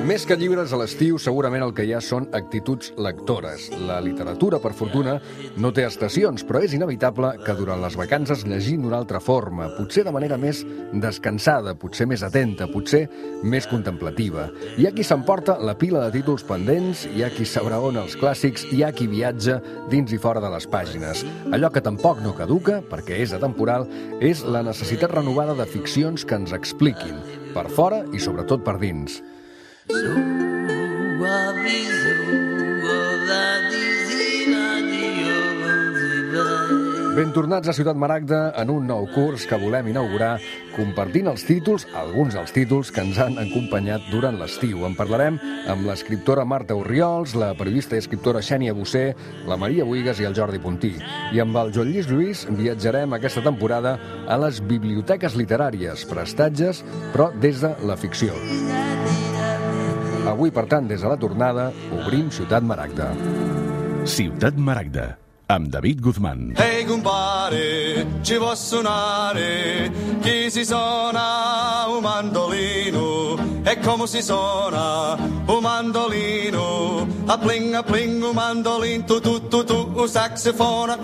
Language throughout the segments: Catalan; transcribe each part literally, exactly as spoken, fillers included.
Més que llibres a l'estiu, segurament el que hi ha són actituds lectores. La literatura, per fortuna, no té estacions, però és inevitable que durant les vacances llegim d'una altra forma, potser de manera més descansada, potser més atenta, potser més contemplativa. Hi ha qui s'emporta la pila de títols pendents, hi ha qui s'abraona els clàssics, hi ha qui viatja dins i fora de les pàgines. Allò que tampoc no caduca, perquè és atemporal, és la necessitat renovada de ficcions que ens expliquin, per fora i sobretot per dins. Ben tornats a Ciutat Maragda en un nou curs que volem inaugurar compartint els títols, alguns dels títols que ens han acompanyat durant l'estiu. En parlarem amb l'escriptora Marta Orriols, la periodista i escriptora Xènia Bocer, la Maria Buigas i el Jordi Puntí. I amb el Joan Lluís Lluís viatjarem aquesta temporada a les biblioteques literàries, prestatges, però des de la ficció. Avui, per tant, des de la tornada, obrim Ciutat Maragda. Ciutat Maragda, amb David Guzmán. Ehi compare, ci può suonare, chi si suona un mandolino, e come si suona un mandolino, a pling a pling un mandolino, tu tu tu tu, un saxofona,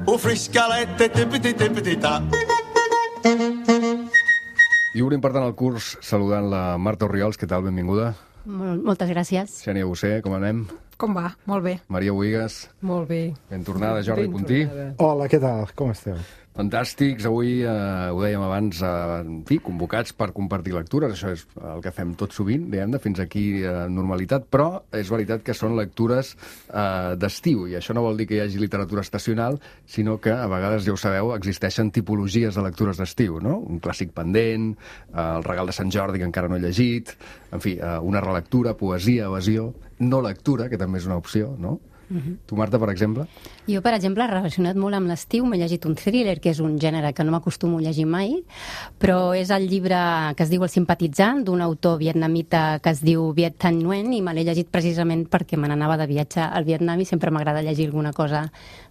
un friscalette, tipiti tipiti ta. I obrim, per tant, el curs saludant la Marta Orriols. Què tal? Benvinguda. Moltes gràcies. Xènia Bocer, com anem? Com va? Molt bé. Maria Buigas. Molt bé. Ben tornada, Jordi Puntí. Hola, què tal? Com esteu? Fantàstics. Avui, eh, ho dèiem abans, eh, en fi, convocats per compartir lectures. Això és el que fem tot sovint, diguem-ne, fins aquí eh, normalitat, però és veritat que són lectures eh, d'estiu, i això no vol dir que hi hagi literatura estacional, sinó que, a vegades, ja ho sabeu, existeixen tipologies de lectures d'estiu, no? Un clàssic pendent, eh, el regal de Sant Jordi que encara no he llegit, en fi, eh, una relectura, poesia, evasió, no lectura, que també és una opció, no? Uh-huh. Tu, Marta, per exemple? Jo, per exemple, relacionat molt amb l'estiu, m'he llegit un thriller, que és un gènere que no m'acostumo a llegir mai, però és el llibre que es diu El simpatitzant, d'un autor vietnamita que es diu Viet Thanh Nguyen, i me l'he llegit precisament perquè me n'anava de viatge al Vietnam i sempre m'agrada llegir alguna cosa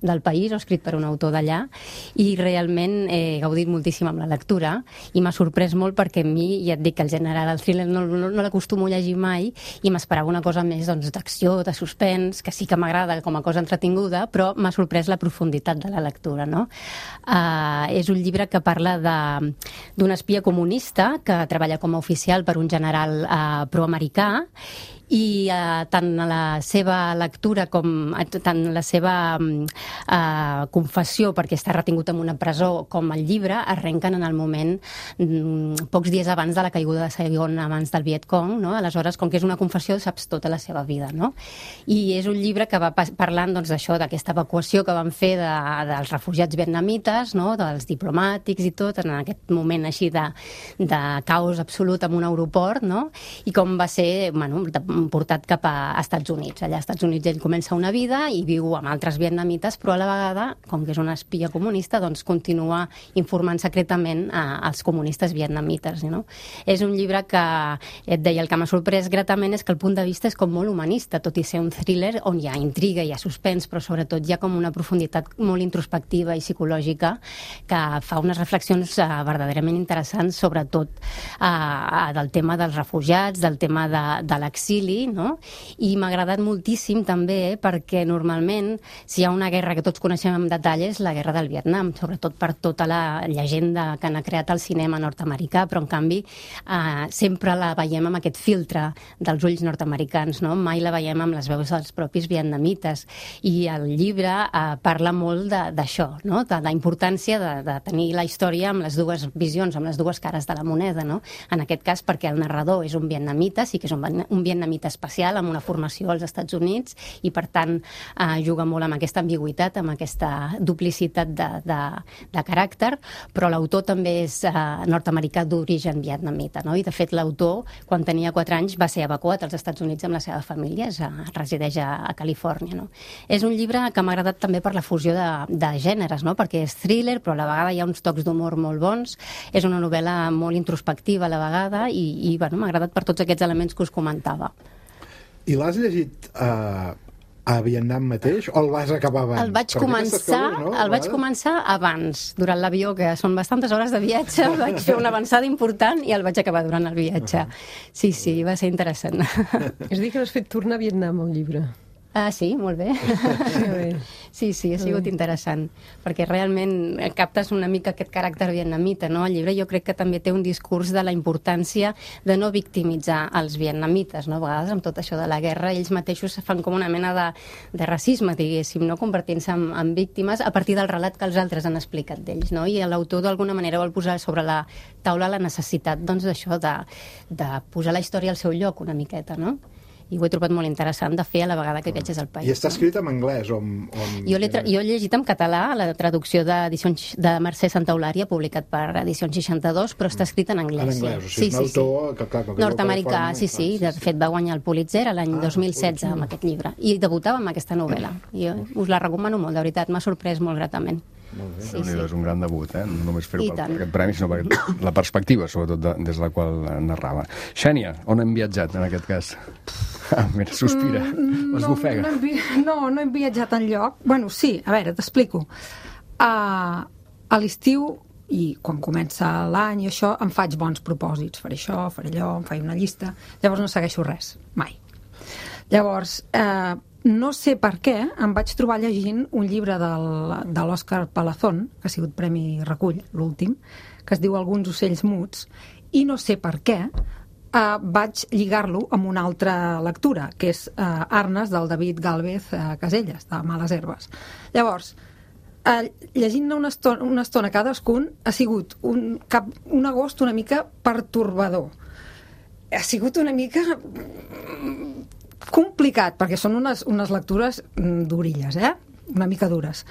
del país o escrit per un autor d'allà, i realment he gaudit moltíssim amb la lectura i m'ha sorprès molt perquè a mi, ja et dic que el gènere del thriller no, no, no l'acostumo a llegir mai i m'esperava una cosa més doncs, d'acció, de suspens, que sí que m'agrada com a cosa entretinguda, però m'ha sorprès la profunditat de la lectura, no? Uh, és un llibre que parla d'un espia comunista que treballa com a oficial per un general uh, proamericà, i eh, tant la seva lectura com eh, tant la seva eh, confessió, perquè està retingut en una presó, com el llibre, arrenquen en el moment mm, pocs dies abans de la caiguda de Saigon, abans del Vietcong, no? Aleshores, com que és una confessió, saps tota la seva vida, no? I és un llibre que va parlant doncs, d'això, d'aquesta evacuació que van fer de, dels refugiats vietnamites, no? Dels diplomàtics i tot, en aquest moment així de, de caos absolut en un aeroport, no? I com va ser, bueno, portat cap a Estats Units. Allà als Estats Units ell comença una vida i viu amb altres vietnamites, però a la vegada, com que és una espia comunista, doncs continua informant secretament a, als comunistes vietnamites. No? És un llibre que, et deia, el que m'ha sorprès gratament és que el punt de vista és com molt humanista, tot i ser un thriller on hi ha intriga, hi ha suspens, però sobretot hi ha com una profunditat molt introspectiva i psicològica que fa unes reflexions uh, verdaderament interessants, sobretot uh, del tema dels refugiats, del tema de, de l'exili, no? I m'ha agradat moltíssim també perquè normalment si hi ha una guerra que tots coneixem en detall és la guerra del Vietnam, sobretot per tota la llegenda que n'ha creat el cinema nord-americà, però en canvi eh, sempre la veiem amb aquest filtre dels ulls nord-americans, no? Mai la veiem amb les veus dels propis vietnamites, i el llibre eh, parla molt d'això, no? De la importància de, de tenir la història amb les dues visions, amb les dues cares de la moneda, no? En aquest cas perquè el narrador és un vietnamita, sí que és un, un vietnamita especial, amb una formació als Estats Units, i per tant eh, juga molt amb aquesta ambigüitat, amb aquesta duplicitat de, de, de caràcter, però l'autor també és eh, nord-americà d'origen vietnamita, no? I de fet l'autor, quan tenia quatre anys, va ser evacuat als Estats Units amb la seva família, és, eh, resideix a, a Califòrnia, no? És un llibre que m'ha agradat també per la fusió de, de gèneres, no? Perquè és thriller, però a la vegada hi ha uns tocs d'humor molt bons, és una novel·la molt introspectiva a la vegada, i, i bueno, m'ha agradat per tots aquests elements que us comentava. I l'has llegit eh, a Vietnam mateix o el vas acabar abans? El vaig començar, coses, no? el vaig començar abans, durant l'avió, que són bastantes hores de viatge, vaig fer una avançada important i el vaig acabar durant el viatge. Sí, sí, va ser interessant. És a dir, que has fet tornar a Vietnam el llibre. Ah, sí, molt bé. Sí, sí, ha sigut interessant, perquè realment captes una mica aquest caràcter vietnamita, no? El llibre jo crec que també té un discurs de la importància de no victimitzar els vietnamites, no? A vegades amb tot això de la guerra ells mateixos fan com una mena de, de racisme, diguéssim, no? Convertint-se en, en víctimes a partir del relat que els altres han explicat d'ells, no? I l'autor d'alguna manera vol posar sobre la taula la necessitat, doncs, d'això, de, de posar la història al seu lloc una miqueta, no? I ho he trobat molt interessant de fer a la vegada que viatges al país. I està escrit en anglès o en... O en... Jo, tra... jo he llegit en català la traducció de Mercè Santaolària, publicat per Edicions seixanta-dos, però està escrit en anglès. En anglès, sí. o sigui, és un sí, autor sí. que, clar, que nord-americà, forma, sí, sí, clar, de fet va guanyar el Pulitzer l'any ah, dos mil setze amb aquest llibre, i debutava amb aquesta novel·la. I us la recomano molt, de veritat, m'ha sorprès molt gratament. Molt bé. Sí, sí. És un gran debut, eh? No només fer-ho per tant. aquest premi, sinó per la perspectiva, sobretot, de, des de la qual narrava. Xènia, on hem viatjat, en aquest cas? Ah, mira, sospira, mm, es bofega. No, no, hem, no, no hem viatjat enlloc. Bueno, sí, a veure, t'explico. Uh, a l'estiu, i quan comença l'any i això, em faig bons propòsits. Faré això, faré allò, em faig una llista. Llavors no segueixo res, mai. Llavors, eh, no sé per què, em vaig trobar llegint un llibre del, de l'Òscar Palazón, que ha sigut Premi Recull, l'últim, que es diu Alguns ocells muts, i no sé per què eh, vaig lligar-lo amb una altra lectura, que és eh, Arnes, del David Gálvez eh, Caselles, de Males herbes. Llavors, eh, llegint-ne una estona, una estona cadascun, ha sigut un, cap, un agost una mica pertorbador. Ha sigut una mica complicat, perquè són unes, unes lectures durilles, eh? Una mica dures.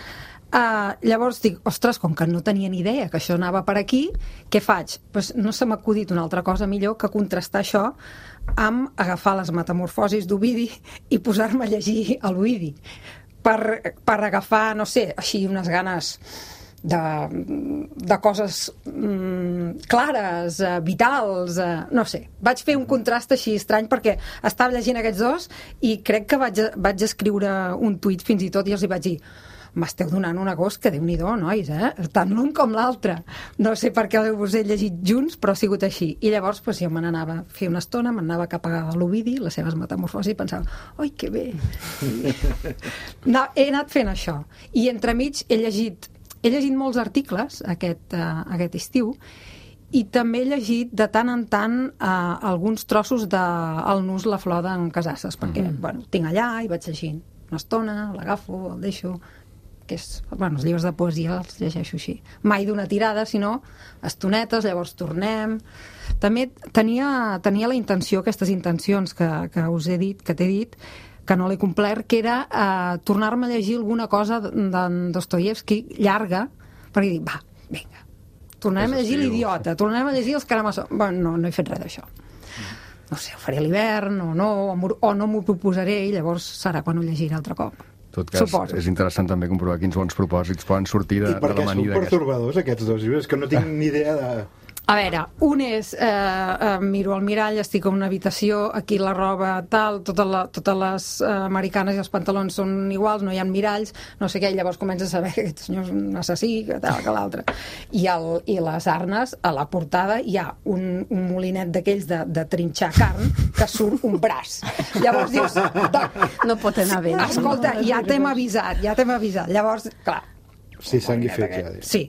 Uh, llavors dic, ostres, com que no tenia ni idea que això anava per aquí, què faig? Pues no se m'ha acudit una altra cosa millor que contrastar això amb agafar les metamorfosis d'Ovidi i posar-me a llegir a l'Ovidi per, per agafar, no sé, així unes ganes de, de coses mm, clares, eh, vitals, eh, no sé. Vaig fer un contrast així estrany perquè estava llegint aquests dos i crec que vaig, vaig escriure un tuit fins i tot i els hi vaig dir, m'esteu donant un agost que Déu-n'hi-do, nois, eh? Tant l'un com l'altre. No sé per què us he llegit junts, però ha sigut així. I llavors pues, jo me n'anava a fer una estona, m'anava cap a l'Ovidi, les seves metamorfosis, i pensava, oi, que bé. No, he anat fent això. I entremig he llegit He llegit molts articles aquest, uh, aquest estiu i també he llegit de tant en tant uh, alguns trossos de El Nus, la flor d'en Casasses, perquè mm-hmm. bueno, tinc allà i vaig llegint una estona, l'agafo, el deixo, que és, bueno, els llibres de poesia els llegeixo així. Mai d'una tirada, sinó estonetes, llavors tornem. També tenia, tenia la intenció, aquestes intencions que, que us he dit, que t'he dit, que no l'he complert, que era eh, tornar-me a llegir alguna cosa d'en Dostoievski llarga, perquè dic, va, vinga, tornarem a llegir l'Idiota, tornarem a llegir els Karamazov. Bueno, no, no he fet res d'això. No sé, ho faré a l'hivern, o no, o no m'ho proposaré, i llavors serà quan ho llegiré altre cop. En tot cas, Suposo. És interessant també comprovar quins bons propòsits poden sortir de, de l'amanida. I per què són pertorbadors, aquests dos llibres? Que no tinc ni idea de... A veure, un és, eh, eh, miro al mirall, estic en una habitació, aquí la roba tal, tota la, totes les eh, americanes i els pantalons són iguals, no hi ha miralls, no sé què, i llavors comences a saber que aquest senyor és un assassí, que tal, que l'altre. I, el, I les arnes, a la portada, hi ha un, un molinet d'aquells de, de trinxar carn, que surt un braç. Llavors dius, no pot anar bé. Escolta, ja t'hem avisat, ja t'hem avisat. Llavors, clar, sí, sang i fetge. Sí,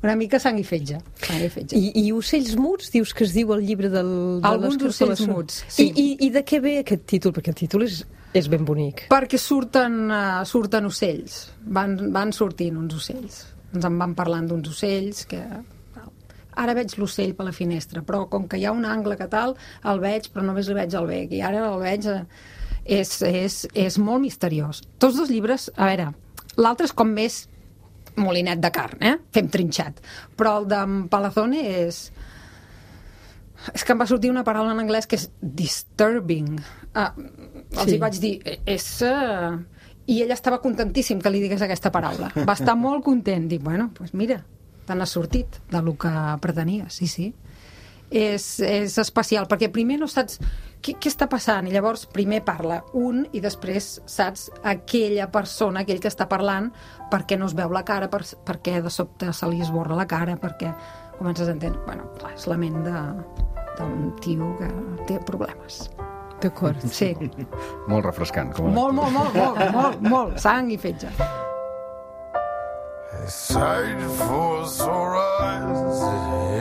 una mica sang i fetge. Sang i, fetge. I, I ocells muts, dius que es diu el llibre del... De Alguns ocells muts, sí. I, i, I de què ve aquest títol? Perquè el títol és, és ben bonic. Perquè surten, uh, surten ocells. Van, van sortint uns ocells. Ens en van parlant d'uns ocells que... Ara veig l'ocell per la finestra, però com que hi ha un angle que tal, el veig, però només li veig el bec. I ara el veig... Uh, és, és, és molt misteriós. Tots dos llibres, a veure, l'altre és com més molinet de carn, eh? Fem trinxat. Però el d'en Palazone és... És que em va sortir una paraula en anglès que és disturbing. Ah, els sí. hi vaig dir, és... Uh... I ell estava contentíssim que li digués aquesta paraula. Va estar molt content. Dic, bueno, doncs pues mira, te n'has sortit del que pretenies, sí, sí. És, és especial, perquè primer no saps què, què està passant? I llavors primer parla un i després, saps, aquella persona, aquell que està parlant, per què no es veu la cara, per, per què de sobte se li esborra la cara, perquè comences a entendre, bueno, clar, és la ment de, d'un tio que té problemes. D'acord. Sí. Molt refrescant. Com a Molt, molt, molt, molt, molt, molt, sang i fetge. Sight for sore eyes,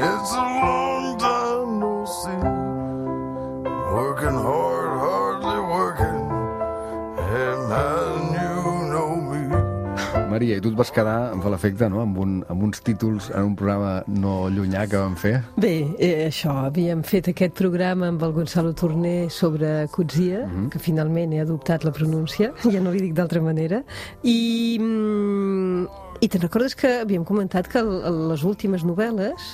it's a long time no see. Working hard, hardly working, hey man, you know me. Maria, i tu et vas quedar, em fa l'efecte, no? amb, un, amb uns títols en un programa no llunyà que vam fer? Bé, eh, això, havíem fet aquest programa amb el Gonzalo Torné sobre Coetzee, uh-huh. que finalment he adoptat la pronúncia, ja no li dic d'altra manera, i, mm, i te'n recordes que havíem comentat que el, les últimes novel·les,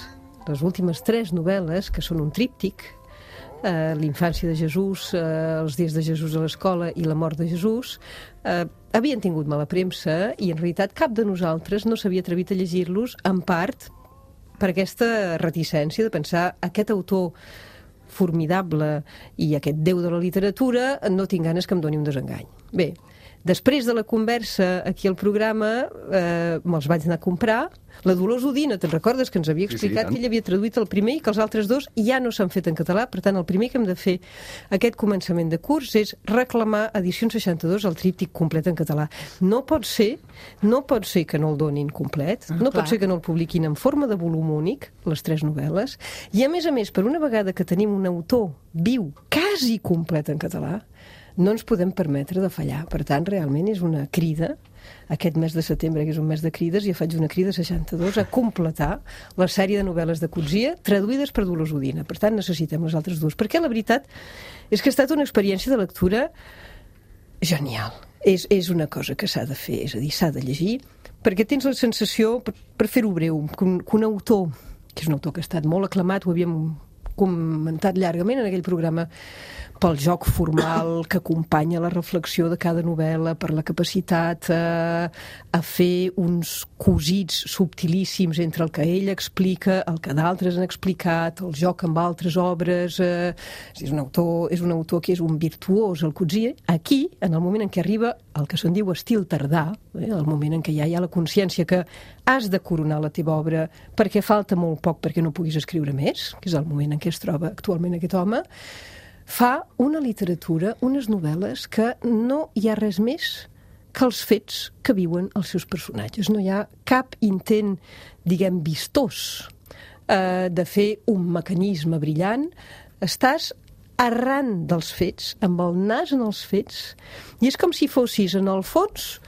les últimes tres novel·les, que són un tríptic, eh, l'infància de Jesús, eh, els dies de Jesús a l'escola i la mort de Jesús, eh, havien tingut mala premsa i en realitat cap de nosaltres no s'havia atrevit a llegir-los, en part per aquesta reticència de pensar aquest autor formidable i aquest déu de la literatura, no tinc ganes que em doni un desengany. Bé, després de la conversa aquí al programa eh, me'ls vaig anar a comprar. La Dolors Udina, te'n recordes que ens havia explicat sí, sí, que ell havia traduït el primer i que els altres dos ja no s'han fet en català, per tant el primer que hem de fer aquest començament de curs és reclamar Edicions seixanta-dos el tríptic complet en català. No pot ser, no pot ser que no el donin complet, ah, no clar. Pot ser que no el publiquin en forma de volum únic, les tres novel·les, i a més a més, per una vegada que tenim un autor viu, quasi complet en català, no ens podem permetre de fallar. Per tant, realment és una crida, aquest mes de setembre, que és un mes de crides, ja faig una crida seixanta-dos a completar la sèrie de novel·les de Coetzee traduïdes per Dolors Udina. Per tant, necessitem les altres dues. Perquè la veritat és que ha estat una experiència de lectura genial. És, és una cosa que s'ha de fer, és a dir, s'ha de llegir, perquè tens la sensació, per, per fer-ho breu, que un, que un autor, que és un autor que ha estat molt aclamat, ho havíem comentat llargament en aquell programa, pel joc formal que acompanya la reflexió de cada novel·la, per la capacitat eh, a fer uns cosits subtilíssims entre el que ell explica, el que d'altres han explicat, el joc amb altres obres. Eh, és, un autor, és un autor que és un virtuós, el Coetzee. Aquí, en el moment en què arriba el que se'n diu estil tardà, eh, el moment en què ja hi ha la consciència que has de coronar la teva obra perquè falta molt poc perquè no puguis escriure més, que és el moment en què es troba actualment aquest home, fa una literatura, unes novel·les que no hi ha res més que els fets que viuen els seus personatges. No hi ha cap intent, diguem, vistós eh, de fer un mecanisme brillant. Estàs arran dels fets, amb el nas en els fets, i és com si fossis, en el fons,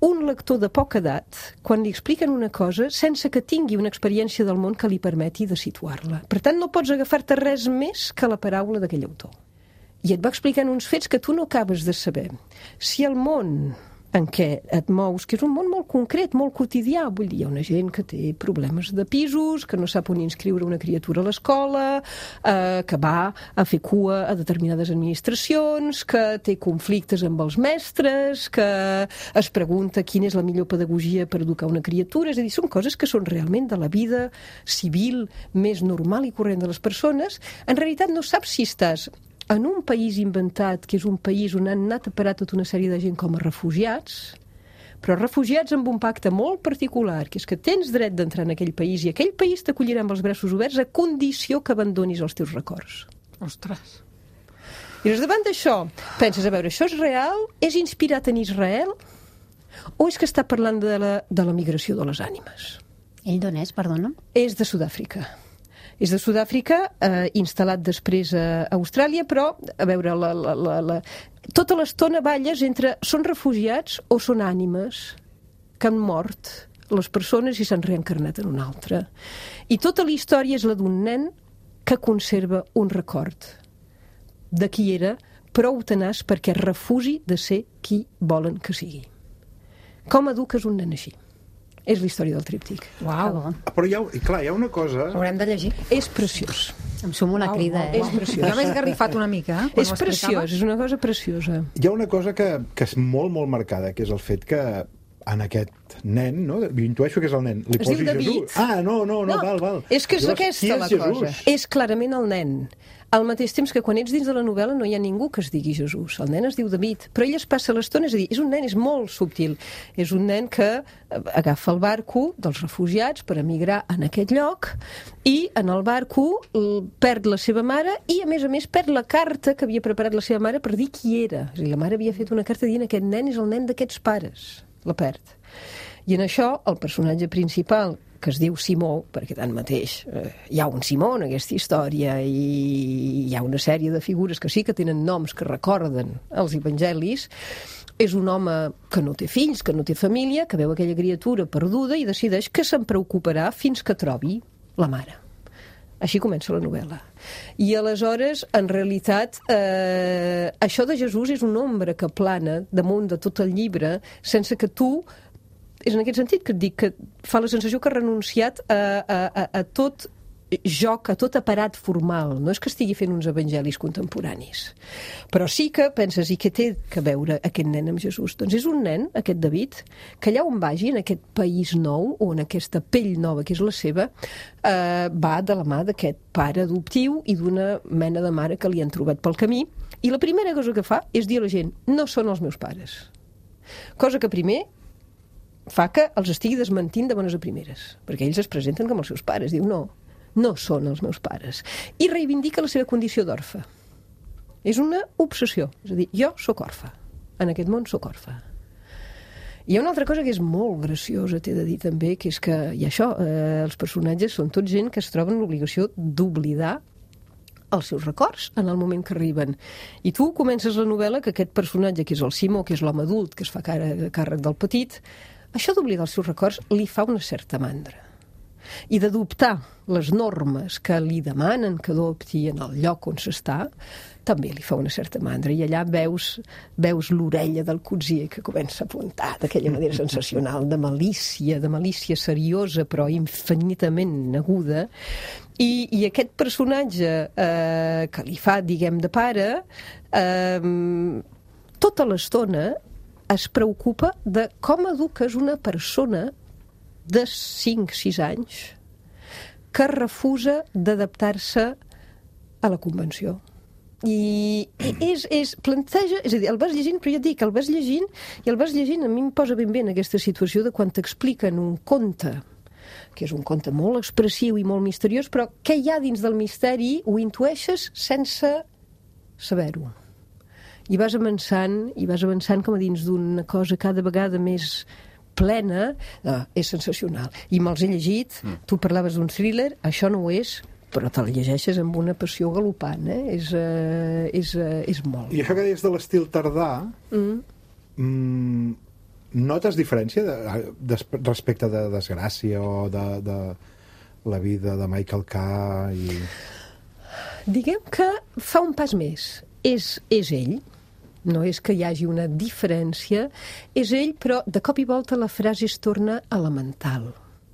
un lector de poca edat, quan li expliquen una cosa, sense que tingui una experiència del món que li permeti de situar-la. Per tant, no pots agafar-te res més que la paraula d'aquell autor. I et va explicant uns fets que tu no acabes de saber. Si el món en què et mous, que és un món molt concret, molt quotidià, vull dir, hi ha una gent que té problemes de pisos, que no sap on inscriure una criatura a l'escola, eh, que va a fer cua a determinades administracions, que té conflictes amb els mestres, que es pregunta quina és la millor pedagogia per educar una criatura. És a dir, són coses que són realment de la vida civil més normal i corrent de les persones. En realitat no saps si estàs en un país inventat, que és un país on han anat a parar tota una sèrie de gent com a refugiats, però refugiats amb un pacte molt particular, que és que tens dret d'entrar en aquell país i aquell país t'acollirà amb els braços oberts a condició que abandonis els teus records. Ostres. I doncs davant d'això, penses, a veure, això és real? És inspirat en Israel? O és que està parlant de la, de la migració de les ànimes? Ell d'on és, perdona? És de Sud-àfrica. És de Sud-àfrica, eh, instal·lat després a Austràlia, però, a veure, la, la, la, la... tota l'estona balles entre són refugiats o són ànimes que han mort les persones i s'han reencarnat en una altra. I tota la història és la d'un nen que conserva un record de qui era prou tenaç perquè refusi de ser qui volen que sigui. Com eduques un nen així? És la història del tríptic. Uau. Però hi ha, i clar, hi ha una cosa... Haurem de llegir. És preciós. Em sumo una Uau, crida, uau, eh? És preciós. Jo m'he esgarrifat una mica, eh? És preciós, és una cosa preciosa. Hi ha una cosa que, que és molt, molt marcada, que és el fet que en aquest nen, no? Jo intueixo que és el nen. Li Es posi diu David. Jesús. Ah, no, no, no, val, val. És que és Llavors, aquesta qui és la Jesús? cosa. És clarament el nen. Al mateix temps que quan ets dins de la novel·la no hi ha ningú que es digui Jesús. El nen es diu David, però ell es passa l'estona, és a dir, és un nen, és molt subtil. És un nen que agafa el barco dels refugiats per emigrar en aquest lloc i en el barco perd la seva mare i, a més a més, perd la carta que havia preparat la seva mare per dir qui era. És a dir, la mare havia fet una carta dient aquest nen és el nen d'aquests pares. La perd. I en això, el personatge principal, que es diu Simó, perquè tanmateix eh, hi ha un Simó en aquesta història i hi ha una sèrie de figures que sí que tenen noms que recorden els evangelis, és un home que no té fills, que no té família, que veu aquella criatura perduda i decideix que se'n preocuparà fins que trobi la mare. Així comença la novel·la. I aleshores, en realitat, eh, això de Jesús és una ombra que plana damunt de tot el llibre sense que tu... És en aquest sentit que et dic que fa la sensació que ha renunciat a, a, a, a tot joc, a tot aparat formal. No és que estigui fent uns evangelis contemporanis. Però sí que penses, i què té que veure aquest nen amb Jesús? Doncs és un nen, aquest David, que allà on vagi, en aquest país nou, o en aquesta pell nova que és la seva, eh, va de la mà d'aquest pare adoptiu i d'una mena de mare que li han trobat pel camí. I la primera cosa que fa és dir a la gent, no són els meus pares. Cosa que primer fa que els estigui desmentint de bones a primeres, perquè ells es presenten com els seus pares. Diu, no, no són els meus pares. I reivindica la seva condició d'orfe. És una obsessió. És a dir, jo sóc orfe. En aquest món sóc orfe. Hi ha una altra cosa que és molt graciosa, t'he de dir també, que és que, i això, eh, els personatges són tots gent que es troben l'obligació d'oblidar els seus records en el moment que arriben. I tu comences la novel·la que aquest personatge, que és el Simó, que és l'home adult, que es fa càrrec del petit, això d'oblidar els seus records li fa una certa mandra. I d'adoptar les normes que li demanen que adopti en el lloc on s'està, també li fa una certa mandra. I allà veus, veus l'orella del cotsier que comença a apuntar d'aquella manera sensacional, de malícia, de malícia seriosa, però infinitament aguda. I, i aquest personatge eh, que li fa, diguem, de pare, eh, tota l'estona es preocupa de com eduques una persona de cinc sis anys que refusa d'adaptar-se a la convenció. I, i és, és, planteja, és a dir, el vas llegint, però ja et dic, el vas llegint i el vas llegint, a mi em posa ben bé en aquesta situació de quan t'expliquen un conte, que és un conte molt expressiu i molt misteriós, però què hi ha dins del misteri ho intueixes sense saber-ho. I vas avançant, i vas avançant com a dins d'una cosa cada vegada més plena. No, és sensacional. I me'ls he llegit, mm. tu parlaves d'un thriller, això no ho és, però te'l llegeixes amb una passió galopant, eh? És, uh, és, uh, és molt. I això que deies de l'estil tardà, mm. Mm, notes diferència de, de, respecte de Desgràcia o de, de la vida de Michael K. I... Diguem que fa un pas més. És, és ell, no és que hi hagi una diferència, és ell, però de cop i volta la frase es torna elemental.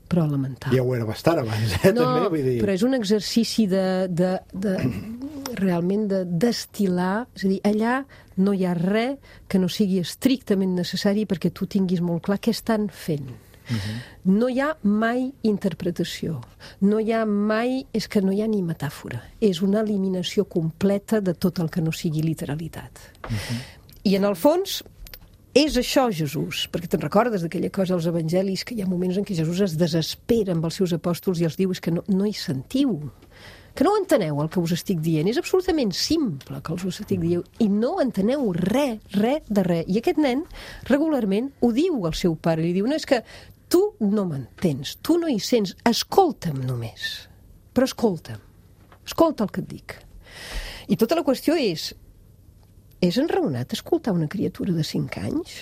Però elemental. Ja ho era bastant abans, eh? No, també, vull dir... però és un exercici de, de, de realment de destil·lar, és a dir, allà no hi ha res que no sigui estrictament necessari perquè tu tinguis molt clar què estan fent. Uh-huh. No hi ha mai interpretació, no hi ha mai, és que no hi ha ni metàfora, és una eliminació completa de tot el que no sigui literalitat. Uh-huh. I en el fons és això Jesús, perquè te'n recordes d'aquella cosa als evangelis, que hi ha moments en què Jesús es desespera amb els seus apòstols i els diu és que no, no hi sentiu, que no enteneu el que us estic dient, és absolutament simple que us estic dient, i no enteneu res, res de res. I aquest nen regularment ho diu al seu pare, li diu, no, és que tu no m'entens, tu no hi sents, escolta'm només, però escolta'm, escolta el que et dic. I tota la qüestió és, és enraonat escoltar una criatura de cinc anys?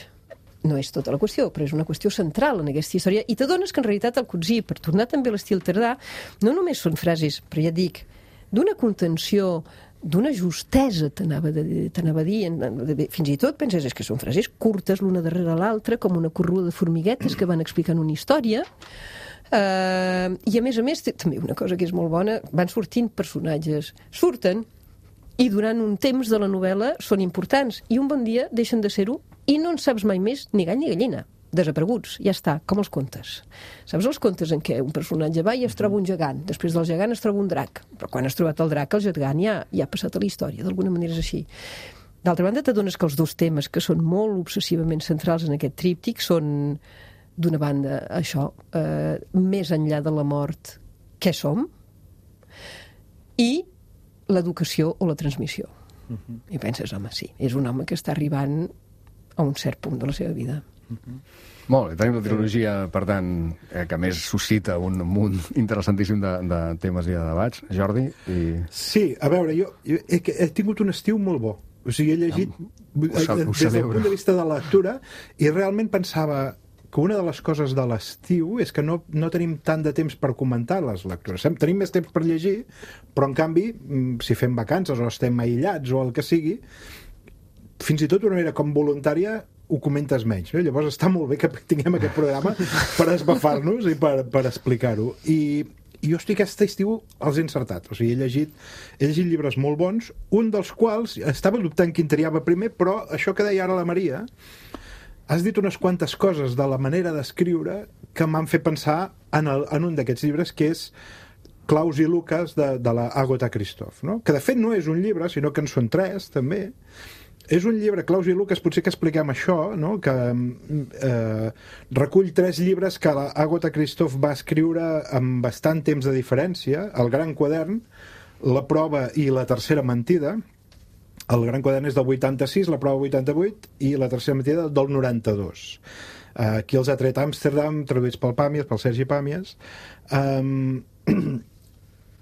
No és tota la qüestió, però és una qüestió central en aquesta història, i t'adones que en realitat el Coetzee, per tornar també a l'estil tardà, no només són frases, però ja et dic, d'una contenció, d'una justesa, t'anava, de, t'anava a dir, fins i tot penses és que són frases curtes l'una darrere l'altra, com una corrua de formiguetes que van explicant una història, uh, i a més a més, també una cosa que és molt bona, van sortint personatges, surten, i durant un temps de la novel·la són importants, i un bon dia deixen de ser-ho, i no en saps mai més ni gall ni gallina. desapareguts, ja està, com els contes. Saps els contes en què un personatge va i es troba un gegant, després del gegant es troba un drac, però quan has trobat el drac, el gegant ja, ja ha passat a la història, d'alguna manera és així. D'altra banda, t'adones que els dos temes que són molt obsessivament centrals en aquest tríptic són, d'una banda, això, eh, més enllà de la mort, què som? I l'educació o la transmissió. Uh-huh. I penses, home, sí, és un home que està arribant a un cert punt de la seva vida. Uh-huh. Molt bé, tenim la trilogia, per tant, eh, que més suscita un munt interessantíssim de, de temes i de debats. Jordi? I... Sí, a veure, jo, jo he, he tingut un estiu molt bo. O sigui, he llegit ho, ho, ho des del punt de vista de la lectura i realment pensava que una de les coses de l'estiu és que no, no tenim tant de temps per comentar les lectures. Tenim més temps per llegir, però en canvi, si fem vacances o estem aïllats o el que sigui, fins i tot d'una manera com voluntària ho comentes menys. No? Llavors està molt bé que tinguem aquest programa per esbafar-nos i per, per explicar-ho. I, I jo estic aquest estiu els he encertat. O sigui, he llegit, he llegit llibres molt bons, un dels quals estava dubtant quin triava primer, però això que deia ara la Maria, has dit unes quantes coses de la manera d'escriure que m'han fet pensar en, el, en un d'aquests llibres, que és Claus i Lucas, de, de la Agatha Christoph, no? Que de fet no és un llibre, sinó que en són tres, també. És un llibre, Claus i Lucas, potser que expliquem això, no? Que eh, recull tres llibres que la Agatha Christoph va escriure amb bastant temps de diferència, El gran quadern, La prova i La tercera mentida. El gran quadern és del vuitanta-sis, La prova vuitanta-vuit, i La tercera mentida del noranta-dos. Uh, aquí els ha tret Amsterdam, traduïts pel Pàmies, pel Sergi Pàmies. Um,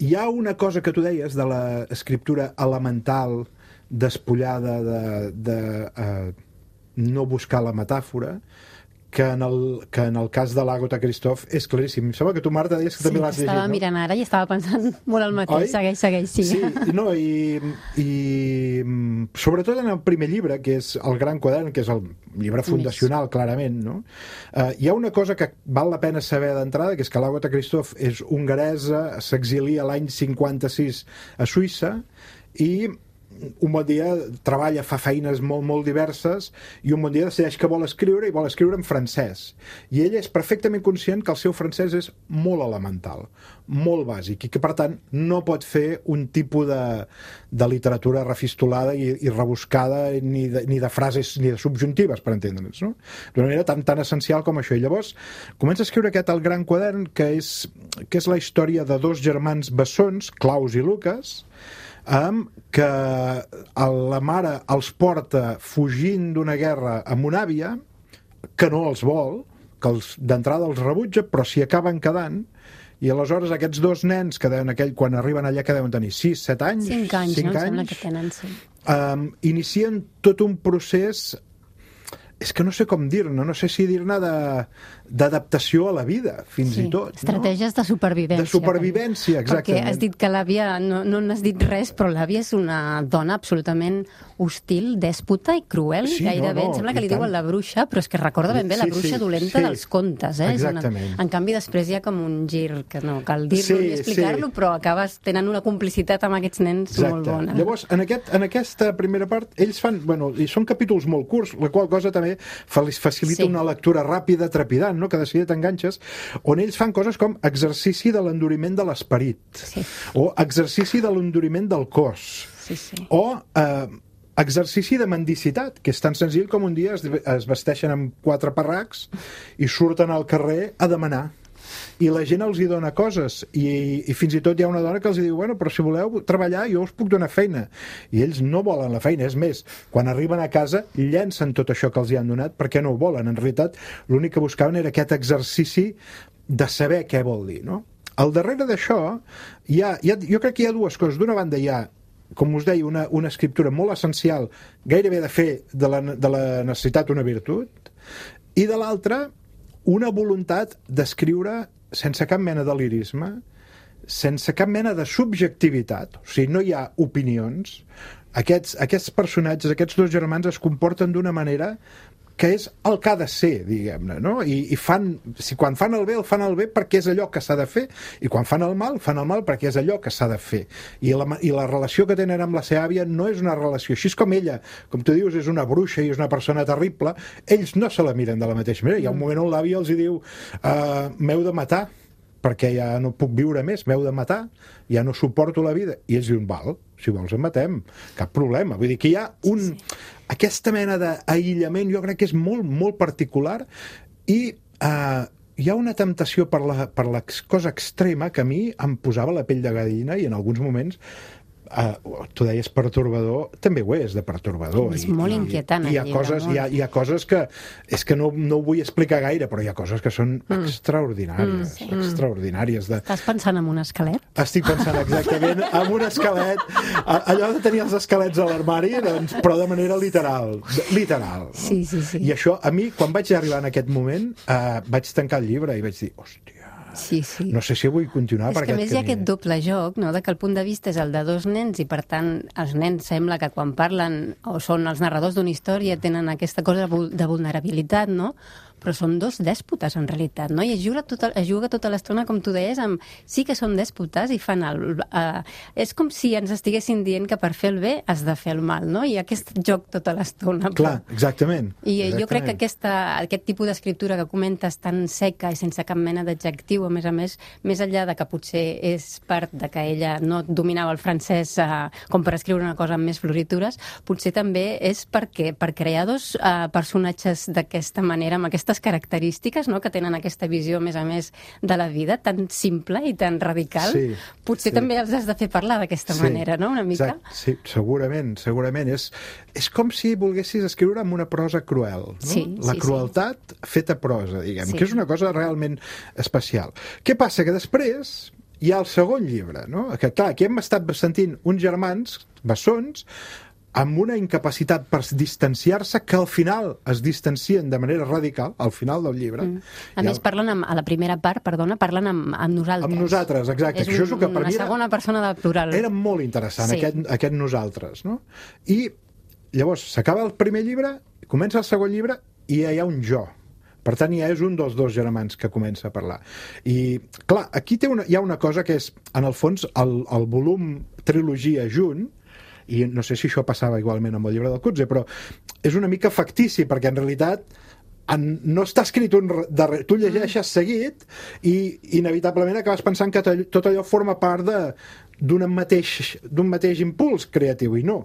hi ha una cosa que tu deies de l'escriptura elemental, despullada de, de uh, no buscar la metàfora, que en el, que en el cas de l'Agatha Christoph és claríssim. Em sembla que tu, Marta, deies que sí, també l'has llegit, no? Sí, estava mirant ara i estava pensant molt el mateix. Oi? Segueix, segueix, sí. Sí, no, i, i sobretot en el primer llibre, que és El gran quadern, que és el llibre fundacional, clarament, no? Uh, hi ha una cosa que val la pena saber d'entrada, que és que l'Agatha Christoph és hongaresa, s'exilia l'any cinquanta-sis a Suïssa, i un bon dia treballa, fa feines molt, molt diverses, i un bon dia decideix que vol escriure i vol escriure en francès. I ella és perfectament conscient que el seu francès és molt elemental, molt bàsic, i que per tant no pot fer un tipus de, de literatura refistolada i, i rebuscada, ni de, ni de frases ni de subjuntives, per entendre'ns, no? D'una manera tan, tan essencial com això. I llavors comença a escriure aquest El gran quadern, que és, que és la història de dos germans bessons, Claus i Lucas, Um, que la mare els porta fugint d'una guerra amb una àvia que no els vol, que els, d'entrada els rebutja, però s'hi acaben quedant, i aleshores aquests dos nens que deuen aquell, quan arriben allà, que deuen tenir sis, set anys, cinc anys, cinc no? anys, Sembla que tenen, sí. um, inicien tot un procés, és que no sé com dir-ne, no sé si dir-ne d'adaptació a la vida, fins sí, i tot. Estratègies no? de supervivència. De supervivència, exactament. Perquè has dit que l'àvia, no, no n'has dit res, però l'àvia és una dona absolutament hostil, dèspota i cruel, sí, gairebé. No, no, em sembla que li tant. diuen la bruixa, però és que recorda ben bé la Sí, bruixa sí, dolenta sí. dels contes. Eh? Exactament. Una... En canvi, després hi ha com un gir, que no cal dir-lo Sí, ni explicar-lo, sí. però acabes tenint una complicitat amb aquests nens Exacte. molt bona. Llavors, en, aquest, en aquesta primera part, ells fan, bueno, i són capítols molt curts, la qual cosa també facilita Sí. una lectura ràpida, trepidant, no? Que de seguida t'enganxes, on ells fan coses com exercici de l'enduriment de l'esperit, Sí. o exercici de l'enduriment del cos, Sí, sí. o eh, exercici de mendicitat, que és tan senzill com un dia es, es vesteixen amb quatre parracs i surten al carrer a demanar. I la gent els hi dona coses, i, i fins i tot hi ha una dona que els diu, bueno, però si voleu treballar jo us puc donar feina, i ells no volen la feina. És més, quan arriben a casa llencen tot això que els hi han donat perquè no ho volen. En realitat l'únic que buscaven era aquest exercici de saber què vol dir, no? Al darrere d'això hi ha, hi ha, jo crec que hi ha dues coses. D'una banda hi ha, com us deia, una, una escriptura molt essencial, gairebé de fer de la, de la necessitat una virtut, i de l'altra una voluntat d'escriure sense cap mena de lirisme, sense cap mena de subjectivitat. O sigui, no hi ha opinions. Aquests, aquests personatges, aquests dos germans, es comporten d'una manera que és el que ha de ser, diguem-ne, no? I, i fan, si quan fan el bé, el fan el bé perquè és allò que s'ha de fer, i quan fan el mal, fan el mal perquè és allò que s'ha de fer. I la, i la relació que tenen amb la seva àvia no és una relació, així com ella, com tu dius, és una bruixa i és una persona terrible, ells no se la miren de la mateixa manera. Hi ha un moment on l'àvia els hi diu uh, m'heu de matar, perquè ja no puc viure més, m'heu de matar, ja no suporto la vida. I ells diuen, val, si vols en matem, cap problema. Vull dir que hi ha un... Sí, sí. Aquesta mena d'aïllament jo crec que és molt, molt particular i eh, hi ha una temptació per la, per la cosa extrema que a mi em posava la pell de gallina i en alguns moments Uh, tu deies pertorbador, també ho és de pertorbador. És I, molt inquietant. I, i hi, ha llibre, coses, hi, ha, hi ha coses que és que no, no ho vull explicar gaire, però hi ha coses que són mm. extraordinàries. Mm, sí. Extraordinàries. De... Estàs pensant en un esquelet? Estic pensant exactament en un esquelet. Allò de tenir els esquelets a l'armari, doncs, però de manera literal. Literal. No? Sí, sí, sí. I això, a mi, quan vaig arribar en aquest moment, uh, vaig tancar el llibre i vaig dir, hòstia, sí, sí. no sé si vull continuar és per que aquest més hi ha camí. aquest doble joc, no? De que el punt de vista és el de dos nens i per tant els nens sembla que quan parlen o són els narradors d'una història tenen aquesta cosa de vulnerabilitat, no? Però són dos dèspotes en realitat, no? I es juga tota, es juga tota l'estona, com tu deies, amb sí que són dèspotes i fan el... Uh, és com si ens estiguessin dient que per fer el bé has de fer el mal, no? I aquest joc tota l'estona. Clar, exactament. I exactament. Jo crec que aquesta, aquest tipus d'escriptura que comentes tan seca i sense cap mena d'adjectiu, a més a més, més enllà de que potser és part de que ella no dominava el francès uh, com per escriure una cosa amb més floritures, potser també és perquè per crear dos uh, personatges d'aquesta manera, amb aquesta característiques, no?, que tenen aquesta visió, a més a més, de la vida, tan simple i tan radical, sí, potser sí. també els has de fer parlar d'aquesta sí, manera, no?, una mica. Exacte. Sí, segurament, segurament. És, és com si volguessis escriure amb una prosa cruel, no? Sí, la sí, crueltat sí. feta prosa, diguem, sí. que és una cosa realment especial. Què passa? Que després hi ha el segon llibre, no? Que, clar, aquí hem estat sentint uns germans bessons amb una incapacitat per distanciar-se que al final es distancien de manera radical, al final del llibre. Mm. A més, el... parlen amb, a la primera part, perdona, parlen amb, amb nosaltres. Amb nosaltres, exacte. És un, això és el que per una mi era, segona persona de plural. Era molt interessant, sí. aquest, aquest nosaltres, no? I llavors s'acaba el primer llibre, comença el segon llibre i ja hi ha un jo. Per tant, ja és un dels dos germans que comença a parlar. I, clar, aquí té una, hi ha una cosa que és, en el fons, el, el volum trilogia junt, i no sé si això passava igualment amb el llibre del Coetzee, però és una mica factici, perquè en realitat en, no està escrit un darrere, tu llegeixes seguit i inevitablement acabes pensant que tot allò forma part de d'un mateix, d'un mateix impuls creatiu, i no.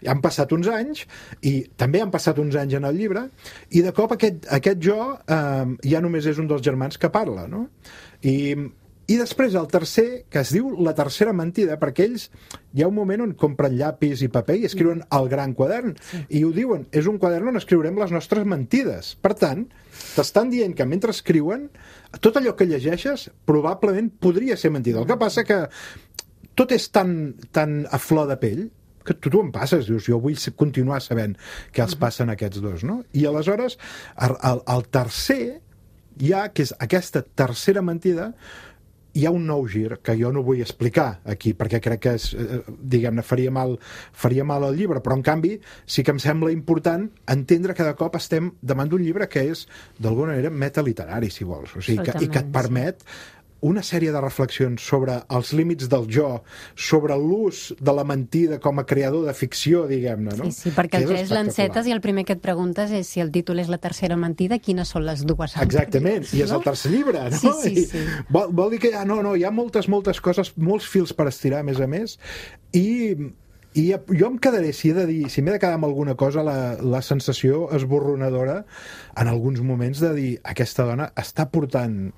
Han passat uns anys, i també han passat uns anys en el llibre, i de cop aquest, aquest jo eh, ja només és un dels germans que parla, no? I I després el tercer, que es diu La tercera mentida, perquè ells hi ha un moment on compren llapis i paper i escriuen el gran quadern, sí. i ho diuen, és un quadern on escriurem les nostres mentides. Per tant, t'estan dient que mentre escriuen, tot allò que llegeixes probablement podria ser mentida. El que passa que tot és tan, tan a flor de pell que tu, tu em passes, dius, jo vull continuar sabent què els passen a aquests dos, no? I aleshores, el, el, el tercer, ja que és aquesta tercera mentida, hi ha un nou gir que jo no vull explicar aquí, perquè crec que és, diguem-ne, faria mal, faria mal al llibre, però en canvi sí que em sembla important entendre que de cop estem davant d'un llibre que és, d'alguna manera, metaliterari, si vols, o sigui, que, i que et permet una sèrie de reflexions sobre els límits del jo, sobre l'ús de la mentida com a creador de ficció, diguem-ne, no? Sí, sí, perquè el tres l'encetes i el primer que et preguntes és si el títol és La tercera mentida, quines són les dues altres. Exactament, i és el tercer llibre, no? Sí, sí, sí. I vol, vol dir que ja, no, no, hi ha moltes, moltes coses, molts fils per estirar, a més a més, i... I jo em quedaré, si he de dir, si m'he de quedar amb alguna cosa, la, la sensació esborronadora en alguns moments de dir, aquesta dona està portant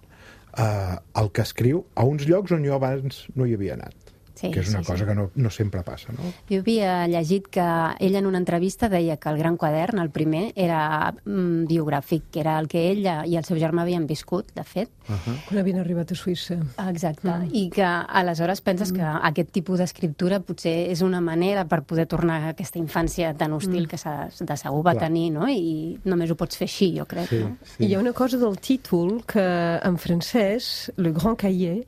Uh, el que escriu a uns llocs on jo abans no hi havia anat. Sí, que és una sí, cosa sí. que no, no sempre passa, no? Jo havia llegit que ella en una entrevista deia que el gran quadern, el primer, era mm, biogràfic, que era el que ella i el seu germà havien viscut, de fet. Uh -huh. Quan havien arribat a Suïssa. Exacte, mm. i que aleshores penses mm. que aquest tipus d'escriptura potser és una manera per poder tornar a aquesta infància tan hostil mm. que de segur va Clar. tenir, no? I només ho pots fer així, jo crec, sí, no? Sí. I hi ha una cosa del títol que en francès, Le Grand Cahier,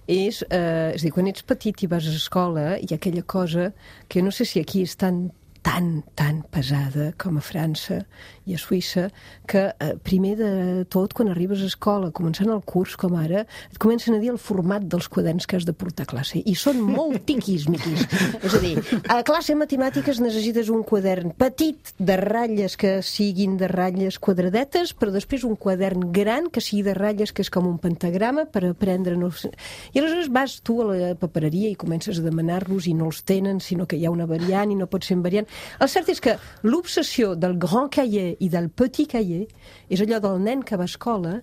és, eh, és a dir, quan ets petit i vas a escola, hi ha aquella cosa que no sé si aquí és tan tan, tan pesada com a França i a Suïssa, que eh, primer de tot, quan arribes a escola, començant el curs, com ara, et comencen a dir el format dels quaderns que has de portar a classe. I són molt tiquis-miquis. És a dir, a classe de matemàtiques necessites un quadern petit de ratlles que siguin de ratlles quadradetes, però després un quadern gran que sigui de ratlles, que és com un pentagrama, per aprendre... No... I aleshores vas tu a la papereria i comences a demanar-los i no els tenen, sinó que hi ha una variant i no pot ser en variant. El cert és que l'obsessió del grand cahier i del petit cahier és allò del nen que va a escola,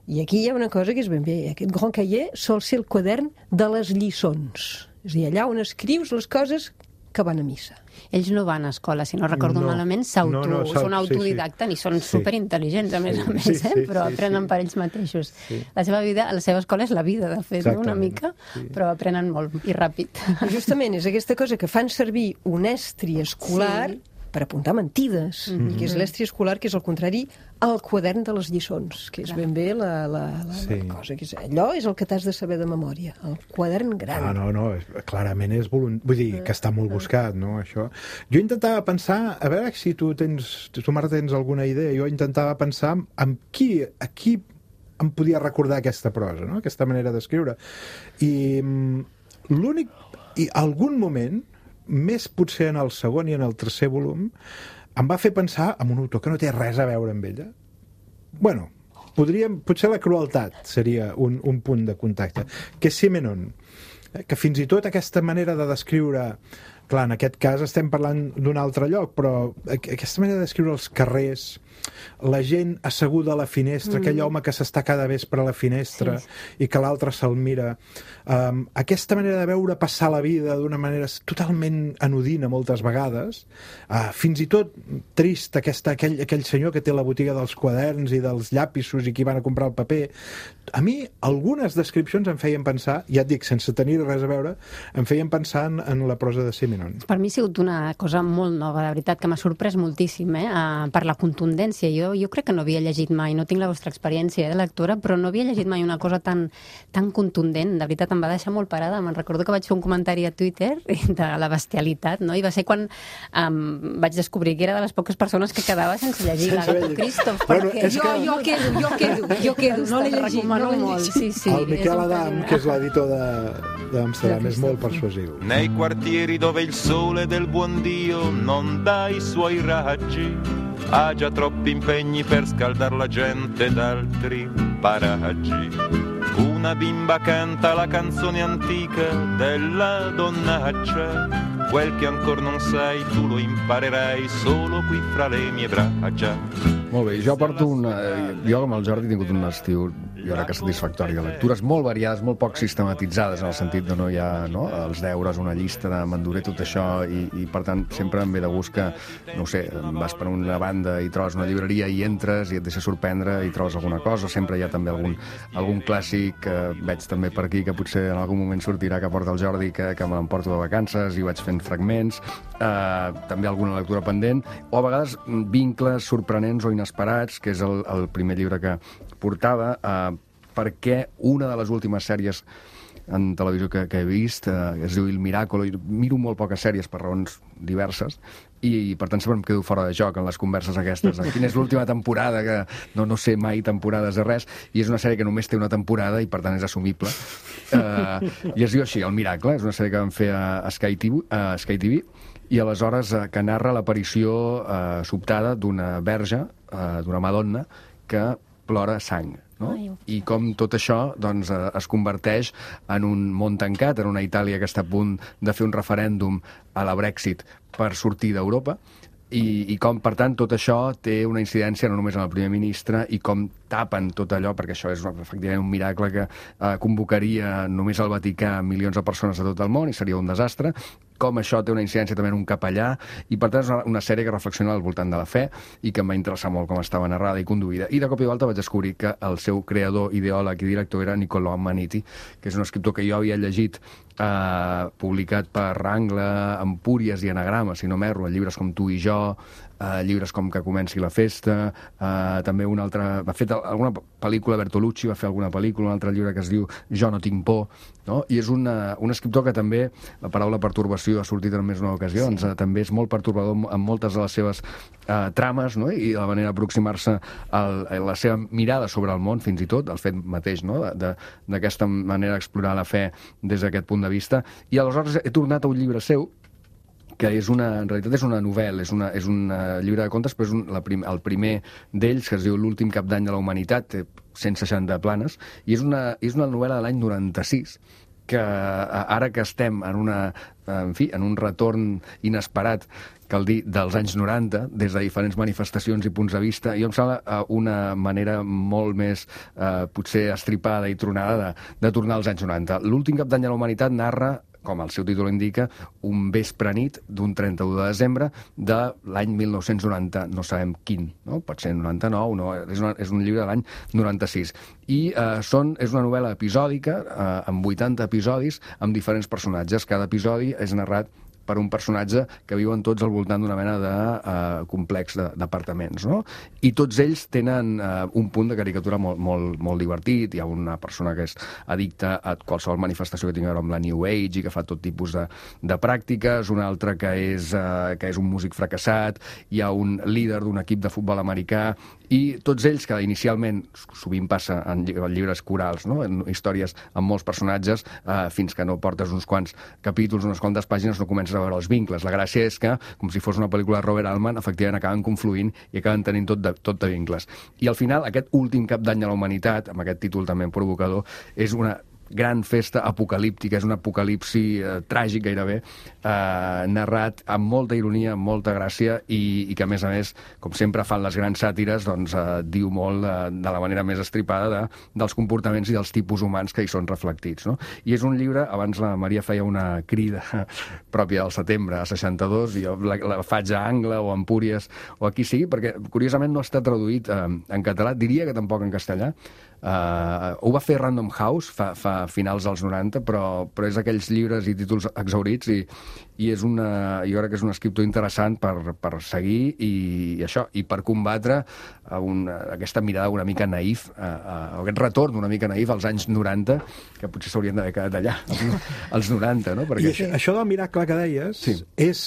i aquí hi ha una cosa que és ben bé. Aquest grand cahier sol ser el quadern de les lliçons. És a dir, allà on escrius les coses que van a missa. Ells no van a escola, si no recordo No. malament, s'auto, No, no, s'auto- són autodidactes sí, sí. i són Sí. superintel·ligents, a més a més, Sí, eh? sí, però sí, aprenen sí. per ells mateixos. La seva vida, la seva escola és la vida, de fet, no? Una Exactament, mica, sí. però aprenen molt i ràpid. I justament és aquesta cosa que fan servir un estri escolar Sí. per apuntar mentides, mm -hmm. i que és l'estri escolar, que és el contrari al quadern de les lliçons, que és ben bé la, la, la, Sí. la cosa. Que és, allò és el que t'has de saber de memòria, el quadern gran. Ah, no, no, és, clarament és volunt... Vull dir, que està molt buscat, no, això. Jo intentava pensar, a veure si tu tens, tu, Marta, tens alguna idea, jo intentava pensar en qui, a qui em podia recordar aquesta prosa, no?, aquesta manera d'escriure. I mm, l'únic... I algun moment, més potser en el segon i en el tercer volum, em va fer pensar en un autor que no té res a veure amb ella. Bueno, podríem, potser la crueltat seria un, un punt de contacte, que és Simenon, que fins i tot aquesta manera de descriure, clar, en aquest cas estem parlant d'un altre lloc, però aquesta manera de descriure els carrers, la gent asseguda a la finestra, mm. aquell home que s'està cada vespre a la finestra sí, sí. i que l'altre se'l mira, um, aquesta manera de veure passar la vida d'una manera totalment anodina moltes vegades, uh, fins i tot trist, aquesta, aquell, aquell senyor que té la botiga dels quaderns i dels llapisos i qui van a comprar el paper. A mi algunes descripcions em feien pensar, ja et dic, sense tenir res a veure, em feien pensar en, en la prosa de Simenon. Per mi ha sigut una cosa molt nova, de veritat, que m'ha sorprès moltíssim, eh? Uh, per la contundència. Jo, jo crec que no havia llegit mai, no tinc la vostra experiència de lectora, però no havia llegit mai una cosa tan, tan contundent. De veritat, em va deixar molt parada. Me'n recordo que vaig fer un comentari a Twitter de la bestialitat, no? I va ser quan um, vaig descobrir que era de les poques persones que quedava sense llegir l'Agatha Christoph. Bueno, perquè... és Jo, que- jo quedo, jo quedo, jo quedo, no l'he llegit, no recomano l'he molt, llegit. sí, sí. El Miquel és un Adam, pena. que és l'editor de- d'Amsterdam, és molt persuasiu. Nei quartieri dove il sole del buon Dio non dà i suoi raggi, ha già troppi impegni per scaldar la gente d'altri paraggi. Una bimba canta la canzone antica della donnaccia, quel che ancora non sai tu lo imparerai solo qui fra le mie braccia. Molt bé, jo porto una... Jo amb el Jordi he tingut un estiu, jo crec que satisfactori, de lectures molt variades, molt poc sistematitzades, en el sentit de no hi ha no, els deures, una llista de m'enduré tot això, i, i per tant sempre em ve de gust que, no ho sé, vas per una banda i trobes una llibreria i entres i et deixa sorprendre i trobes alguna cosa. Sempre hi ha també algun, algun clàssic que veig també per aquí, que potser en algun moment sortirà, que porta el Jordi, que, que me l'emporto de vacances i vaig fent fragments, eh, també alguna lectura pendent, o a vegades vincles sorprenents o inesperats, que és el, el primer llibre que portava, eh, perquè una de les últimes sèries en televisió que, que he vist, eh, es diu Il Miracolo, i miro molt poques sèries per raons diverses, i, i per tant sempre em quedo fora de joc en les converses aquestes. Quina és l'última temporada, que no, no sé mai temporades de res, i és una sèrie que només té una temporada i per tant és assumible. Eh, I es diu així, El Miracle, és una sèrie que vam fer a, a Sky T V, a Sky T V, i aleshores eh, que narra l'aparició eh, sobtada d'una verge, eh, d'una Madonna, que plora sang. No? I com tot això doncs, eh, es converteix en un món tancat, en una Itàlia que està a punt de fer un referèndum a la Brexit per sortir d'Europa, i, i com, per tant, tot això té una incidència no només en el primer ministre, i com tapen tot allò, perquè això és efectivament un miracle que eh, convocaria només al Vaticà milions de persones de tot el món i seria un desastre, com això té una incidència també en un capellà, i per tant és una, una sèrie que reflexiona al voltant de la fe i que em va interessar molt com estava narrada i conduïda. I de cop i volta vaig descobrir que el seu creador, ideòleg i director era Niccolò Amaniti, que és un escriptor que jo havia llegit eh, publicat per Angle, Empúries i Anagrama, si no m'erro, llibres com Tu i jo, Uh, llibres com Que comenci la festa, uh, també una altra... Va fer alguna pel·lícula, Bertolucci va fer alguna pel·lícula, un altre llibre que es diu Jo no tinc por, no? I és una, un escriptor que també, la paraula pertorbació ha sortit en més d'una ocasió, sí. doncs, uh, també és molt pertorbador en moltes de les seves uh, trames, no? I la manera d'aproximar-se a la seva mirada sobre el món, fins i tot, el fet mateix, no? D'aquesta manera d'explorar la fe des d'aquest punt de vista. I aleshores he tornat a un llibre seu, que és una, en realitat és una novel·la, és, una, és un uh, llibre de contes, però és un, la prim, el primer d'ells, que es diu L'últim cap d'any de la humanitat, té cent seixanta planes, i és una, és una novel·la de l'any noranta-sis, que uh, ara que estem en, una, uh, en, fi, en un retorn inesperat, cal dir, dels anys noranta, des de diferents manifestacions i punts de vista, i em sembla uh, una manera molt més, uh, potser, estripada i tronada de, de tornar als anys noranta. L'últim cap d'any de la humanitat narra, com el seu títol indica, un vespre nit d'un trenta-u de desembre de l'any mil nou-cents noranta, no sabem quin, no? Pot ser noranta-nou, no? És, una, és un llibre de l'any noranta-sis. I eh, són, és una novel·la episòdica, eh, amb vuitanta episodis, amb diferents personatges. Cada episodi és narrat per un personatge que viuen tots al voltant d'una mena de uh, complex d'apartaments, no? I tots ells tenen uh, un punt de caricatura molt, molt, molt divertit. Hi ha una persona que és addicta a qualsevol manifestació que tingui a veure amb la New Age i que fa tot tipus de, de pràctiques, un altre que és, uh, que és un músic fracassat, hi ha un líder d'un equip de futbol americà, i tots ells, que inicialment sovint passa en llibres corals, no? En històries amb molts personatges, uh, fins que no portes uns quants capítols, unes quantes pàgines, no comences a veure els vincles. La gràcia és que, com si fos una pel·lícula de Robert Altman, efectivament acaben confluint i acaben tenint tot de, tot de vincles. I al final, aquest últim cap d'any de la humanitat, amb aquest títol també provocador, és una gran festa apocalíptica, és un apocalipsi eh, tràgic gairebé, eh, narrat amb molta ironia, amb molta gràcia, i, i que a més a més, com sempre fan les grans sàtires, doncs eh, diu molt eh, de la manera més estripada de, dels comportaments i dels tipus humans que hi són reflectits, no? I és un llibre, abans la Maria feia una crida pròpia del setembre a seixanta-dos, i jo la, la faig a Angle o a Empúries o aquí sigui, perquè curiosament no està traduït eh, en català, diria que tampoc en castellà. Uh, ho va fer Random House fa, fa finals dels noranta, però, però és aquells llibres i títols exhaurits, i, i és una, jo crec que és un escriptor interessant per, per seguir i, i això, i per combatre una, aquesta mirada una mica naïf, uh, uh, aquest retorn una mica naïf als anys noranta, que potser s'haurien d'haver quedat allà, als noranta, no? Perquè... I això, això del miracle que deies, sí. És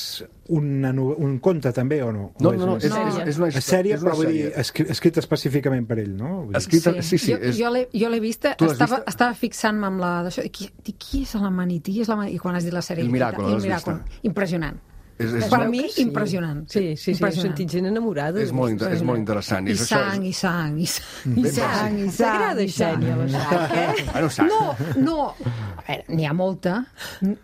una, un conte també o no? No, no, no, és, és, és, és una és sèrie, és una però vull dir, sèrie. escrit, escrit específicament per ell, no? Escrita, sí, sí. Jo, És... jo l'he jo l'he vista, Tu l'has estava, vista? estava fixant-me amb la d'això, i qui, i qui és l'Amanití? És l'Amanití? I quan has dit la sèrie... El Miracle, i el l'has Miracle. vista? Impressionant. És, és, Per molt, mi, sí. impressionant. Sí, sí, sí, he Impressionant. sentit gent enamorada. és, molt, inter- és molt interessant. I és això, sang, i sang, i sang, i Ben sang, i sang. T'agrada, i sang. Xènia, la sang, eh? Bueno, sang. No, no. A veure, n'hi ha molta,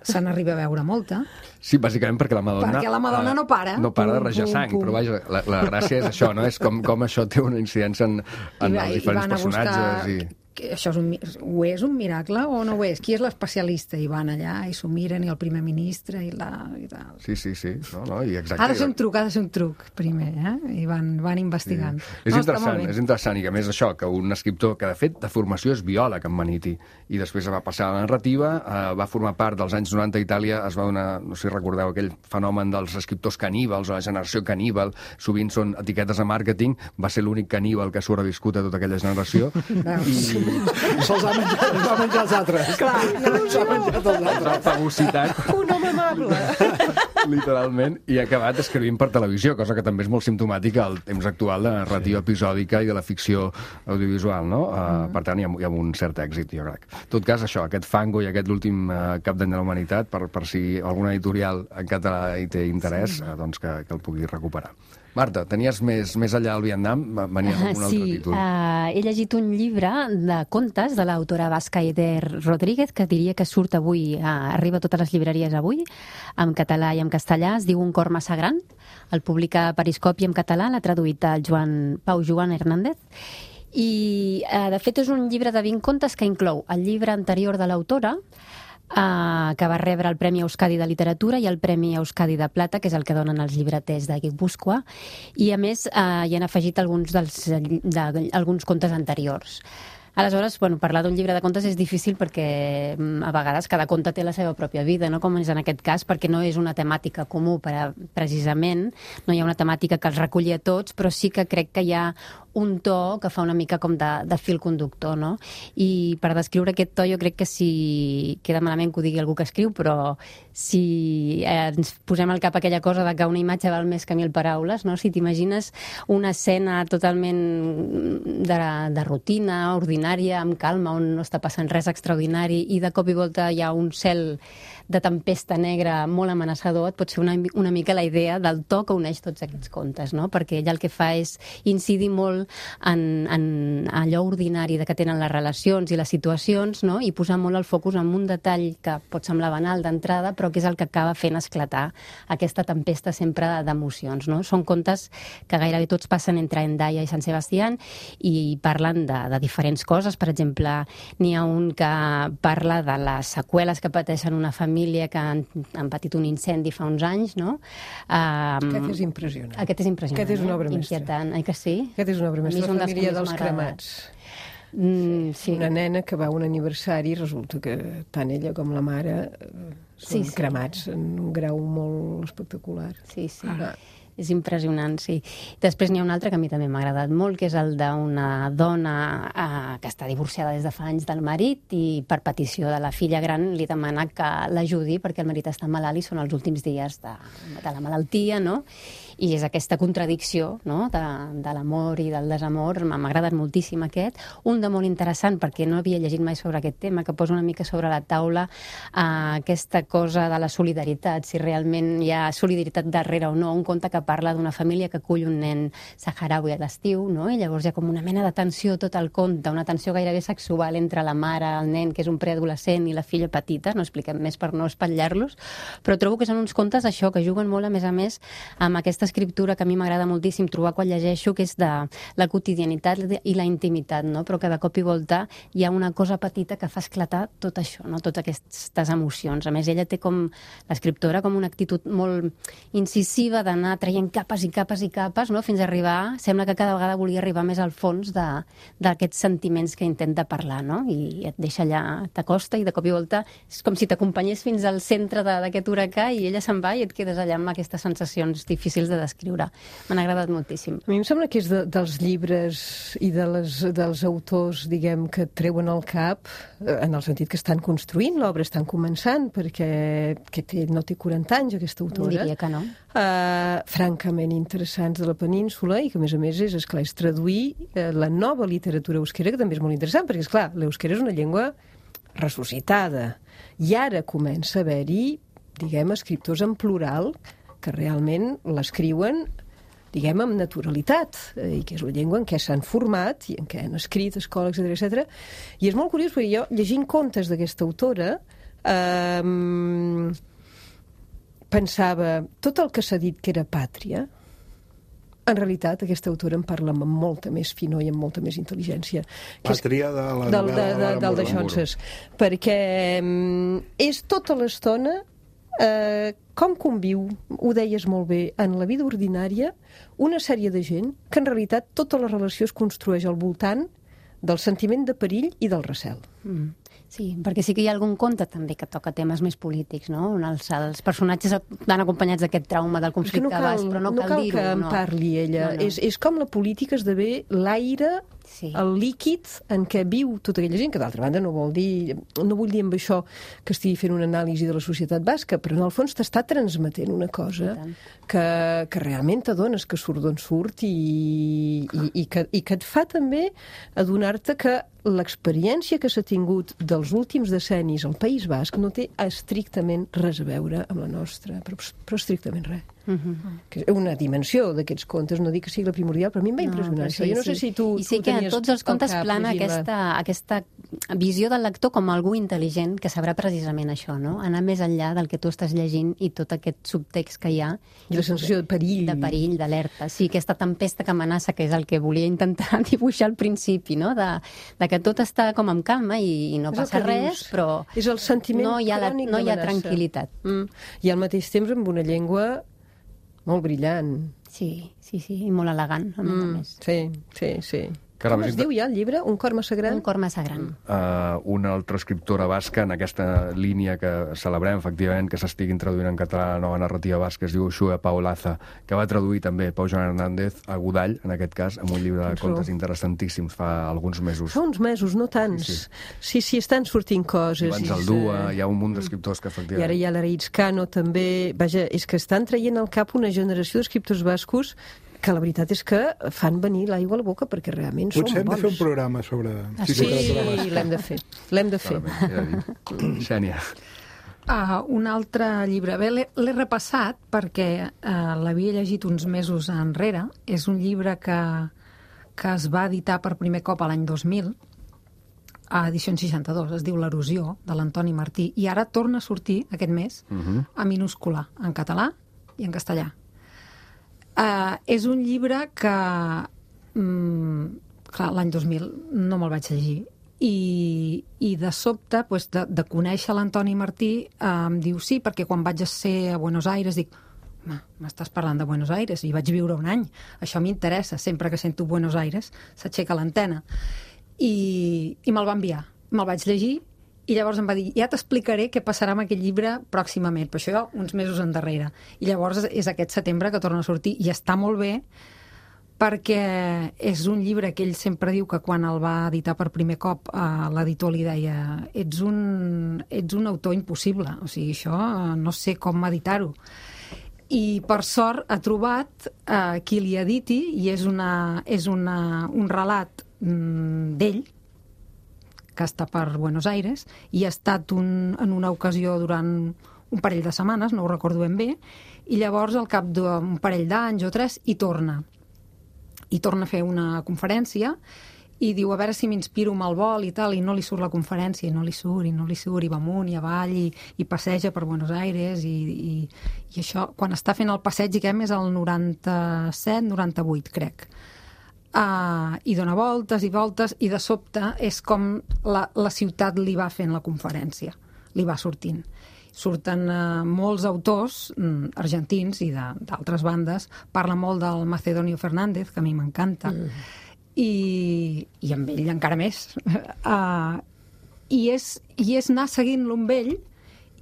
se n'arriba a veure molta. Sí, bàsicament perquè la Madonna... Perquè la Madonna eh, no para. No para de Pum, rajar pum, sang, pum. però vaja, la, la gràcia és això, no? És com, com això té una incidència en, en I va- els i diferents van a buscar- personatges. I... que això és un, mi- ho és un miracle o no ho és? Qui és l'especialista? I van allà i s'ho miren, i el primer ministre i la... I tal. Sí, sí, sí. No, no, i exacte. Ha de ser un truc, ha de ser un truc, primer, eh? I van, van investigant. Sí. És No, està molt interessant, bé. és interessant, i que a més això, que un escriptor que de fet de formació és biòleg en Maniti, i després va passar a la narrativa, eh, va formar part dels anys noranta a Itàlia, es va donar, no sé si recordeu, aquell fenomen dels escriptors caníbals, o la generació caníbal, sovint són etiquetes de màrqueting, va ser l'únic caníbal que ha sobreviscut a tota aquella generació, i Se'ls va menjar, els va menjar els altres. Clar, Se'ls va menjar els altres. la fagocitat, Un home amable. literalment, i ha acabat escrivint per televisió, cosa que també és molt simptomàtica al temps actual de la narrativa episòdica i de la ficció audiovisual, no? Uh, per tant, hi ha, hi ha un cert èxit, jo crec. En tot cas, això, aquest Fango i aquest l'últim uh, cap d'any de la humanitat, per, per si alguna editorial en català hi té interès, uh, doncs que, que el pugui recuperar. Marta, tenies més, més enllà al Vietnam? Venies amb un altre Sí, títol. uh, he llegit un llibre de contes de l'autora basca Eder Rodríguez, que diria que surt avui, uh, arriba a totes les llibreries avui, en català i en castellà, es diu Un cor massa gran, el publica Periscopi en català, l'ha traduït el Joan, Pau Joan Hernández, i uh, de fet és un llibre de vint contes que inclou el llibre anterior de l'autora, Uh, que va rebre el Premi Euskadi de Literatura i el Premi Euskadi de Plata, que és el que donen els llibreters de Guipúscoa, i a més uh, hi han afegit alguns, dels, de, alguns contes anteriors. Aleshores, bueno, parlar d'un llibre de contes és difícil perquè a vegades cada conte té la seva pròpia vida, no? Com és en aquest cas, perquè no és una temàtica comú, per a, precisament, no hi ha una temàtica que els reculli a tots, però sí que crec que hi ha un to que fa una mica com de, de fil conductor, no? I per descriure aquest to jo crec que si queda malament que ho digui algú que escriu, però si eh, ens posem al cap aquella cosa de que una imatge val més que mil paraules, no? Si t'imagines una escena totalment de, de rutina, ordinària, amb calma, on no està passant res extraordinari i de cop i volta hi ha un cel de tempesta negra molt amenaçador, et pot ser una, una mica la idea del to que uneix tots aquests contes, no? Perquè ella el que fa és incidir molt en, en allò ordinari de que tenen les relacions i les situacions, no? I posar molt el focus en un detall que pot semblar banal d'entrada, però que és el que acaba fent esclatar aquesta tempesta sempre d'emocions, no? Són contes que gairebé tots passen entre Hendaia i Sant Sebastián i parlen de, de diferents coses. Per exemple, n'hi ha un que parla de les seqüeles que pateixen una família que han, han patit un incendi fa uns anys, no? Um, Aquest és impressionant. Aquest és impressionant. Aquest és una obra eh? mestra. Inquietant, oi que sí? Aquest és una obra mestra, la família dels cremats. Mm, sí. Una nena que va a un aniversari i resulta que tant ella com la mare són Sí, sí. cremats en un grau molt espectacular. Sí, sí. Ah. És impressionant, sí. Després n'hi ha un altre que a mi també m'ha agradat molt, que és el d'una dona eh, que està divorciada des de fa anys del marit i per petició de la filla gran li demana que l'ajudi perquè el marit està malalt i són els últims dies de, de la malaltia, no? I és aquesta contradicció, no? de, de l'amor i del desamor. M'ha agradat moltíssim aquest. Un de molt interessant, perquè no havia llegit mai sobre aquest tema, que posa una mica sobre la taula eh, aquesta cosa de la solidaritat, si realment hi ha solidaritat darrere o no. Un conte que parla d'una família que acull un nen saharaui a l'estiu, no? I llavors hi ha com una mena de tensió tot el conte, una tensió gairebé sexual entre la mare, el nen, que és un preadolescent, i la filla petita. No expliquem més per no espatllar-los, però trobo que són uns contes, això, que juguen molt, a més a més, amb aquesta escriptura que a mi m'agrada moltíssim trobar quan llegeixo, que és de la quotidianitat i la intimitat, no? Però que de cop i volta hi ha una cosa petita que fa esclatar tot això, no? Totes aquestes emocions. A més, ella té com, l'escriptora, com una actitud molt incisiva d'anar traient capes i capes i capes, no? Fins a arribar, sembla que cada vegada volia arribar més al fons d'aquests sentiments que intenta parlar, no? I et deixa allà, t'acosta i de cop i volta és com si t'acompanyés fins al centre d'aquest huracà i ella se'n va i et quedes allà amb aquestes sensacions difícils de descriure. M'han agradat moltíssim. A mi em sembla que és de, dels llibres i de les, dels autors, diguem, que treuen el cap, en el sentit que estan construint l'obra, estan començant, perquè que té, no té quaranta anys, aquesta autora. Diria que no. Uh, francament interessants de la península i que, a més a més, és, esclar, és traduir uh, la nova literatura euskera, que també és molt interessant, perquè, esclar, l'euskera és una llengua ressuscitada. I ara comença a haver-hi, diguem, escriptors en plural que realment l'escriuen, diguem, amb naturalitat, eh, i que és la llengua en què s'han format i en què han escrit escola, etcètera, etcètera. I és molt curiós, perquè jo, llegint contes d'aquesta autora, eh, pensava, tot el que s'ha dit que era pàtria, en realitat, aquesta autora en parla amb molta més finor i amb molta més intel·ligència. Pàtria de la del, novel·la de, de, de del de Xonses. Perquè um, és tota l'estona eh, com conviu, ho deies molt bé, en la vida ordinària, una sèrie de gent que en realitat tota la relació es construeix al voltant del sentiment de perill i del recel. Mm. Sí, perquè sí que hi ha algun conte també que toca temes més polítics, no? On els, els personatges van acompanyats d'aquest trauma del conflicte no cal, bas, però no, no cal, cal dir-ho. que en no. parli ella. No, no. És, és com la política esdevé l'aire, sí. el líquid en què viu tota aquella gent, que d'altra banda no vol dir, no vull dir amb això que estigui fent una anàlisi de la societat basca, però en el fons t'està transmetent una cosa que, que realment t'adones que surt d'on surt i, i, i, que, i que et fa també adonar-te que l'experiència que s'ha tingut dels últims decennis al País Basc no té estrictament res a veure amb la nostra, però, però estrictament res. Uh-huh. Que és una dimensió d'aquests contes, no dic que sigui la primordial, però a mi em va impressionar. No, sí, jo no sí. sé si tu, I sí tu que tenies tots els contes plana aquesta, aquesta visió del lector com algú intel·ligent que sabrà precisament això, no? Anar més enllà del que tu estàs llegint i tot aquest subtext que hi ha. I la sensació de perill. De perill, d'alerta. Sí, aquesta tempesta que amenaça, que és el que volia intentar dibuixar al principi, no? De, de que tot està com amb calma i, i no és passa res, dius. però és el sentiment no hi ha, la, no hi ha tranquil·litat. Mm. I al mateix temps amb una llengua molt brillant. Sí, sí, sí, i molt elegant, a més mm. a més. Sí, sí, sí. Caram, Com es diu ja el llibre? Un cor massa gran? Un cor massa gran. Uh, una altra escriptora basca en aquesta línia que celebrem, efectivament, que s'estiguin traduint en català la nova narrativa basca, es diu Uxue Paolaza, que va traduir també Pau Joan Hernández a Godall, en aquest cas, amb un llibre de contes interessantíssims fa alguns mesos. Fa uns mesos, no tants. Sí, sí, sí, estan sortint coses. Abans el Dua, hi ha un munt d'escriptors que efectivament... I ara hi ha l'Araïtz Cano, també. Vaja, és que estan traient al cap una generació d'escriptors bascos que la veritat és que fan venir l'aigua a la boca perquè realment són bons. Potser hem de fer un programa sobre... Ah, sí, sí l'hem de fer. L'hem de fer. Xènia. Uh, un altre llibre. Bé, l'he repassat perquè uh, l'havia llegit uns mesos enrere. És un llibre que, que es va editar per primer cop a l'any dos mil, a edicions seixanta-dos. Es diu L'erosió, de l'Antoni Martí. I ara torna a sortir, aquest mes, uh-huh. a minúscula, en català i en castellà. Uh, és un llibre que um, clar, l'any dos mil no me'l vaig llegir i, i de sobte pues, de, de conèixer l'Antoni Martí uh, em diu sí, perquè quan vaig ser a Buenos Aires dic, m'estàs parlant de Buenos Aires i vaig viure un any, això m'interessa, sempre que sento Buenos Aires s'aixeca l'antena i, i me'l va enviar, me'l vaig llegir i llavors em va dir, ja t'explicaré què passarà amb aquest llibre pròximament, però això uns mesos endarrere. I llavors és aquest setembre que torna a sortir i està molt bé perquè és un llibre que ell sempre diu que quan el va editar per primer cop eh, l'editor li deia ets un, ets un autor impossible, o sigui, això no sé com editar-ho. I per sort ha trobat eh, qui li editi i és, una, és una, un relat mm, d'ell que està per Buenos Aires i ha estat un, en una ocasió durant un parell de setmanes, no ho recordo ben bé, i llavors al cap d'un parell d'anys o tres hi torna. I torna a fer una conferència i diu a veure si m'inspiro amb el vol i tal, i no li surt la conferència, i no li surt, i no li surt, i va amunt i avall, i, i passeja per Buenos Aires, i, i, i això, quan està fent el passeig, diguem, és el noranta-set noranta-vuit, crec. Uh, i dona voltes i voltes i de sobte és com la, la ciutat li va fent la conferència, li va sortint. Surten uh, molts autors mm, argentins i d'altres bandes, parla molt del Macedonio Fernández, que a mi m'encanta, mm. i, i amb ell encara més. Uh, i, és, I és anar seguint-lo amb ell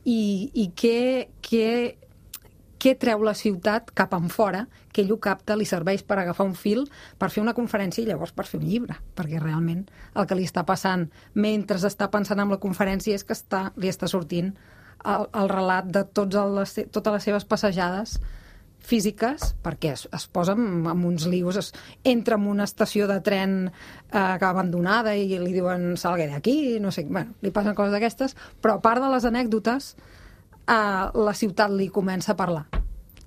i, i què... què què treu la ciutat cap en fora, que ell ho capta, li serveix per agafar un fil, per fer una conferència i llavors per fer un llibre, perquè realment el que li està passant mentre està pensant en la conferència és que està, li està sortint el, el relat de tots les, totes les seves passejades físiques, perquè es, es posa amb, amb uns lius, es, entra en una estació de tren eh, abandonada i li diuen salga d'aquí, no sé, bueno, li passen coses d'aquestes, però a part de les anècdotes, Uh, la ciutat li comença a parlar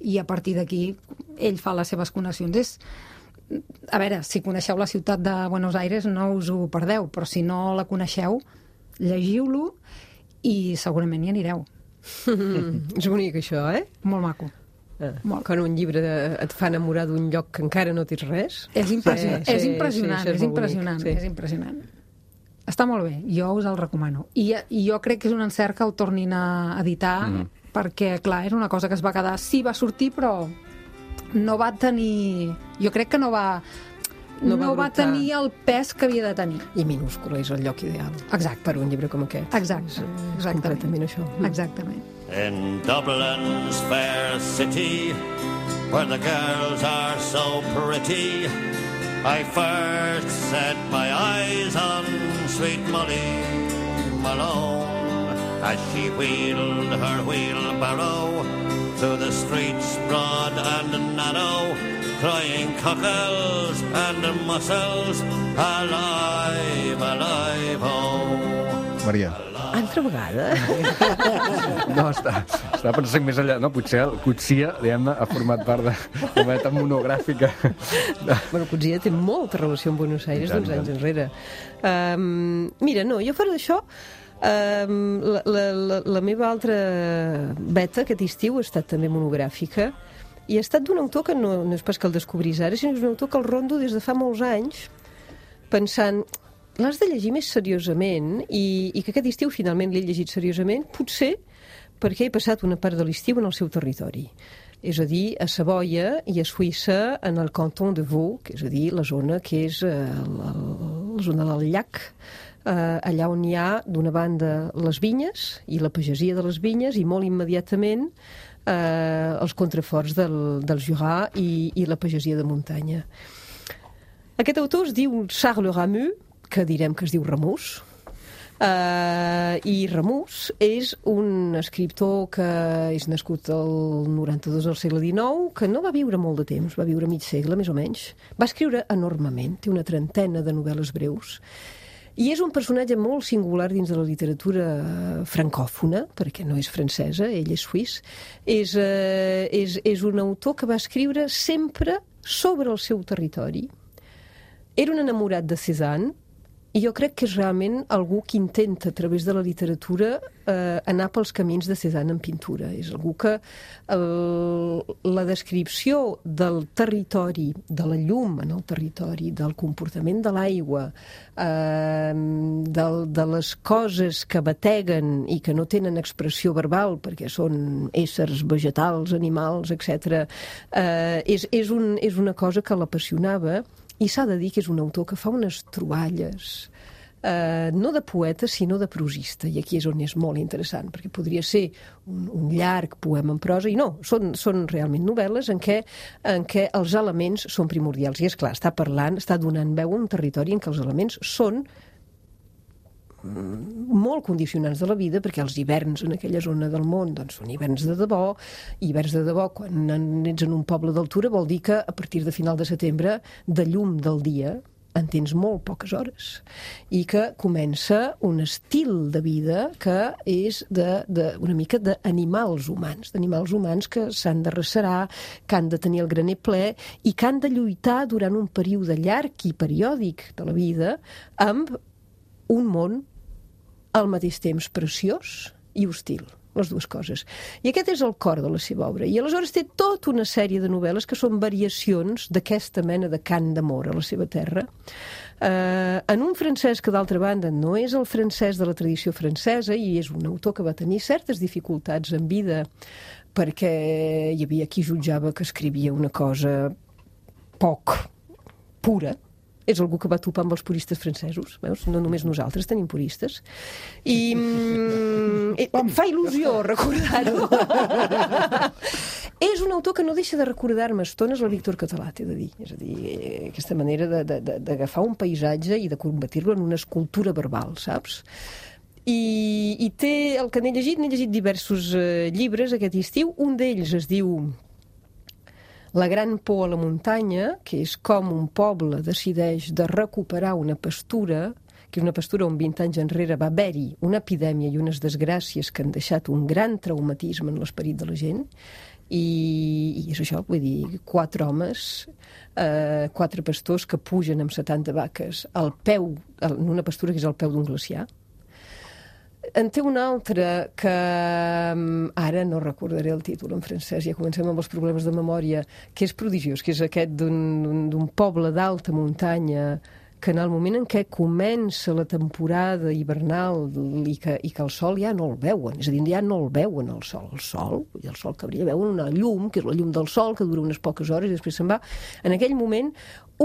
i a partir d'aquí ell fa les seves connexions. És, a veure, si coneixeu la ciutat de Buenos Aires no us ho perdeu, però si no la coneixeu llegiu-lo i segurament hi anireu. Mm, és bonic això, eh? Molt maco. Ah, molt. Quan un llibre de, et fa enamorar d'un lloc que encara no tens res. És impressionant, sí, és impressionant, sí, sí, és, és impressionant, sí. és impressionant. Està molt bé, jo us el recomano. I, I jo crec que és un encert que el tornin a editar, mm. perquè, clar, és una cosa que es va quedar... Sí, va sortir, però no va tenir... Jo crec que no va... No, no va, va tenir el pes que havia de tenir. I minúscula és el lloc ideal. Exacte. Per un llibre com aquest. Exacte. És, és completament això. Exactament. In Dublin's fair city, where the girls are so pretty, I first set my eyes on sweet Molly Malone as she wheeled her wheelbarrow through the streets broad and narrow, crying cockles and mussels, alive, alive, oh. Maria. Altra vegada? No, està, està pensant més enllà. No, potser el Coetzee, diguem-ne, ha format part de la meta monogràfica. Bueno, Coetzee té molta relació amb Buenos Aires d'uns anys enrere. Um, mira, no, jo fora d'això, um, la, la, la, la meva altra beta aquest estiu ha estat també monogràfica i ha estat d'un autor que no, no és pas que el descobrís ara, sinó que és un autor que el rondo des de fa molts anys pensant... L'has de llegir més seriosament i, i que aquest estiu finalment l'he llegit seriosament, potser perquè he passat una part de l'estiu en el seu territori. és a dir, a Savoia i a Suïssa en el canton de Vaud, que és a dir, la zona que és eh, la, la zona del llac, eh, allà on hi ha d'una banda les vinyes i la pagesia de les vinyes i molt immediatament eh, els contraforts del, del Jura i, i la pagesia de muntanya. Aquest autor es diu Charles Ramus, que direm que es diu Ramus, Uh, i Ramus és un escriptor que és nascut al noranta-dos del segle dinou, que no va viure molt de temps, va viure mig segle més o menys. Va escriure enormement, té una trentena de novel·les breus i és un personatge molt singular dins de la literatura francòfona, perquè no és francesa, ell és suís. És, uh, és, és un autor que va escriure sempre sobre el seu territori. Era un enamorat de Cézanne, i jo crec que és realment algú que intenta, a través de la literatura, eh, anar pels camins de Cézanne en pintura. És algú que el, la descripció del territori, de la llum en el territori, del comportament de l'aigua, eh, del, de les coses que bateguen i que no tenen expressió verbal, perquè són éssers vegetals, animals, etcètera, eh, és, és, un, és una cosa que l'apassionava. I s'ha de dir que és un autor que fa unes troballes, eh, no de poeta, sinó de prosista, i aquí és on és molt interessant, perquè podria ser un, un llarg poema en prosa, i no, són, són realment novel·les en què, en què els elements són primordials. I és clar, està parlant, està donant veu a un territori en què els elements són molt condicionants de la vida, perquè els hiverns en aquella zona del món doncs, són hiverns de debò, i hiverns de debò quan ets en un poble d'altura vol dir que a partir de final de setembre de llum del dia en tens molt poques hores i que comença un estil de vida que és de, de, una mica d'animals humans, d'animals humans que s'han de recerar, que han de tenir el graner ple i que han de lluitar durant un període llarg i periòdic de la vida amb un món al mateix temps preciós i hostil, les dues coses. I aquest és el cor de la seva obra. I aleshores té tota una sèrie de novel·les que són variacions d'aquesta mena de cant d'amor a la seva terra, eh, en un francès que, d'altra banda, no és el francès de la tradició francesa i és un autor que va tenir certes dificultats en vida perquè hi havia qui jutjava que escrivia una cosa poc pura. És algú que va topar amb els puristes francesos, veus? No només nosaltres tenim puristes. I mm, em fa il·lusió recordar-ho. És un autor que no deixa de recordar-me estones el Víctor Català, t'he de dir. És a dir, aquesta manera d'agafar un paisatge i de convertir-lo en una escultura verbal, saps? I, i té, el que n'he llegit, n'he llegit diversos eh, llibres aquest estiu. Un d'ells es diu La gran por a la muntanya, que és com un poble decideix de recuperar una pastura, que és una pastura on vint anys enrere va haver-hi una epidèmia i unes desgràcies que han deixat un gran traumatisme en l'esperit de la gent, i, i és això, vull dir, quatre homes, eh, quatre pastors que pugen amb setanta vaques al peu, en una pastura que és al peu d'un glaciar. En té un altre que ara no recordaré el títol en francès, ja comencem amb els problemes de memòria, que és prodigiós, que és aquest d'un poble d'alta muntanya que en el moment en què comença la temporada hivernal i que, i que el sol ja no el veuen, és a dir, ja no el veuen el sol, el sol, i el sol que brilla, veuen una llum, que és la llum del sol, que dura unes poques hores i després se'n va. En aquell moment,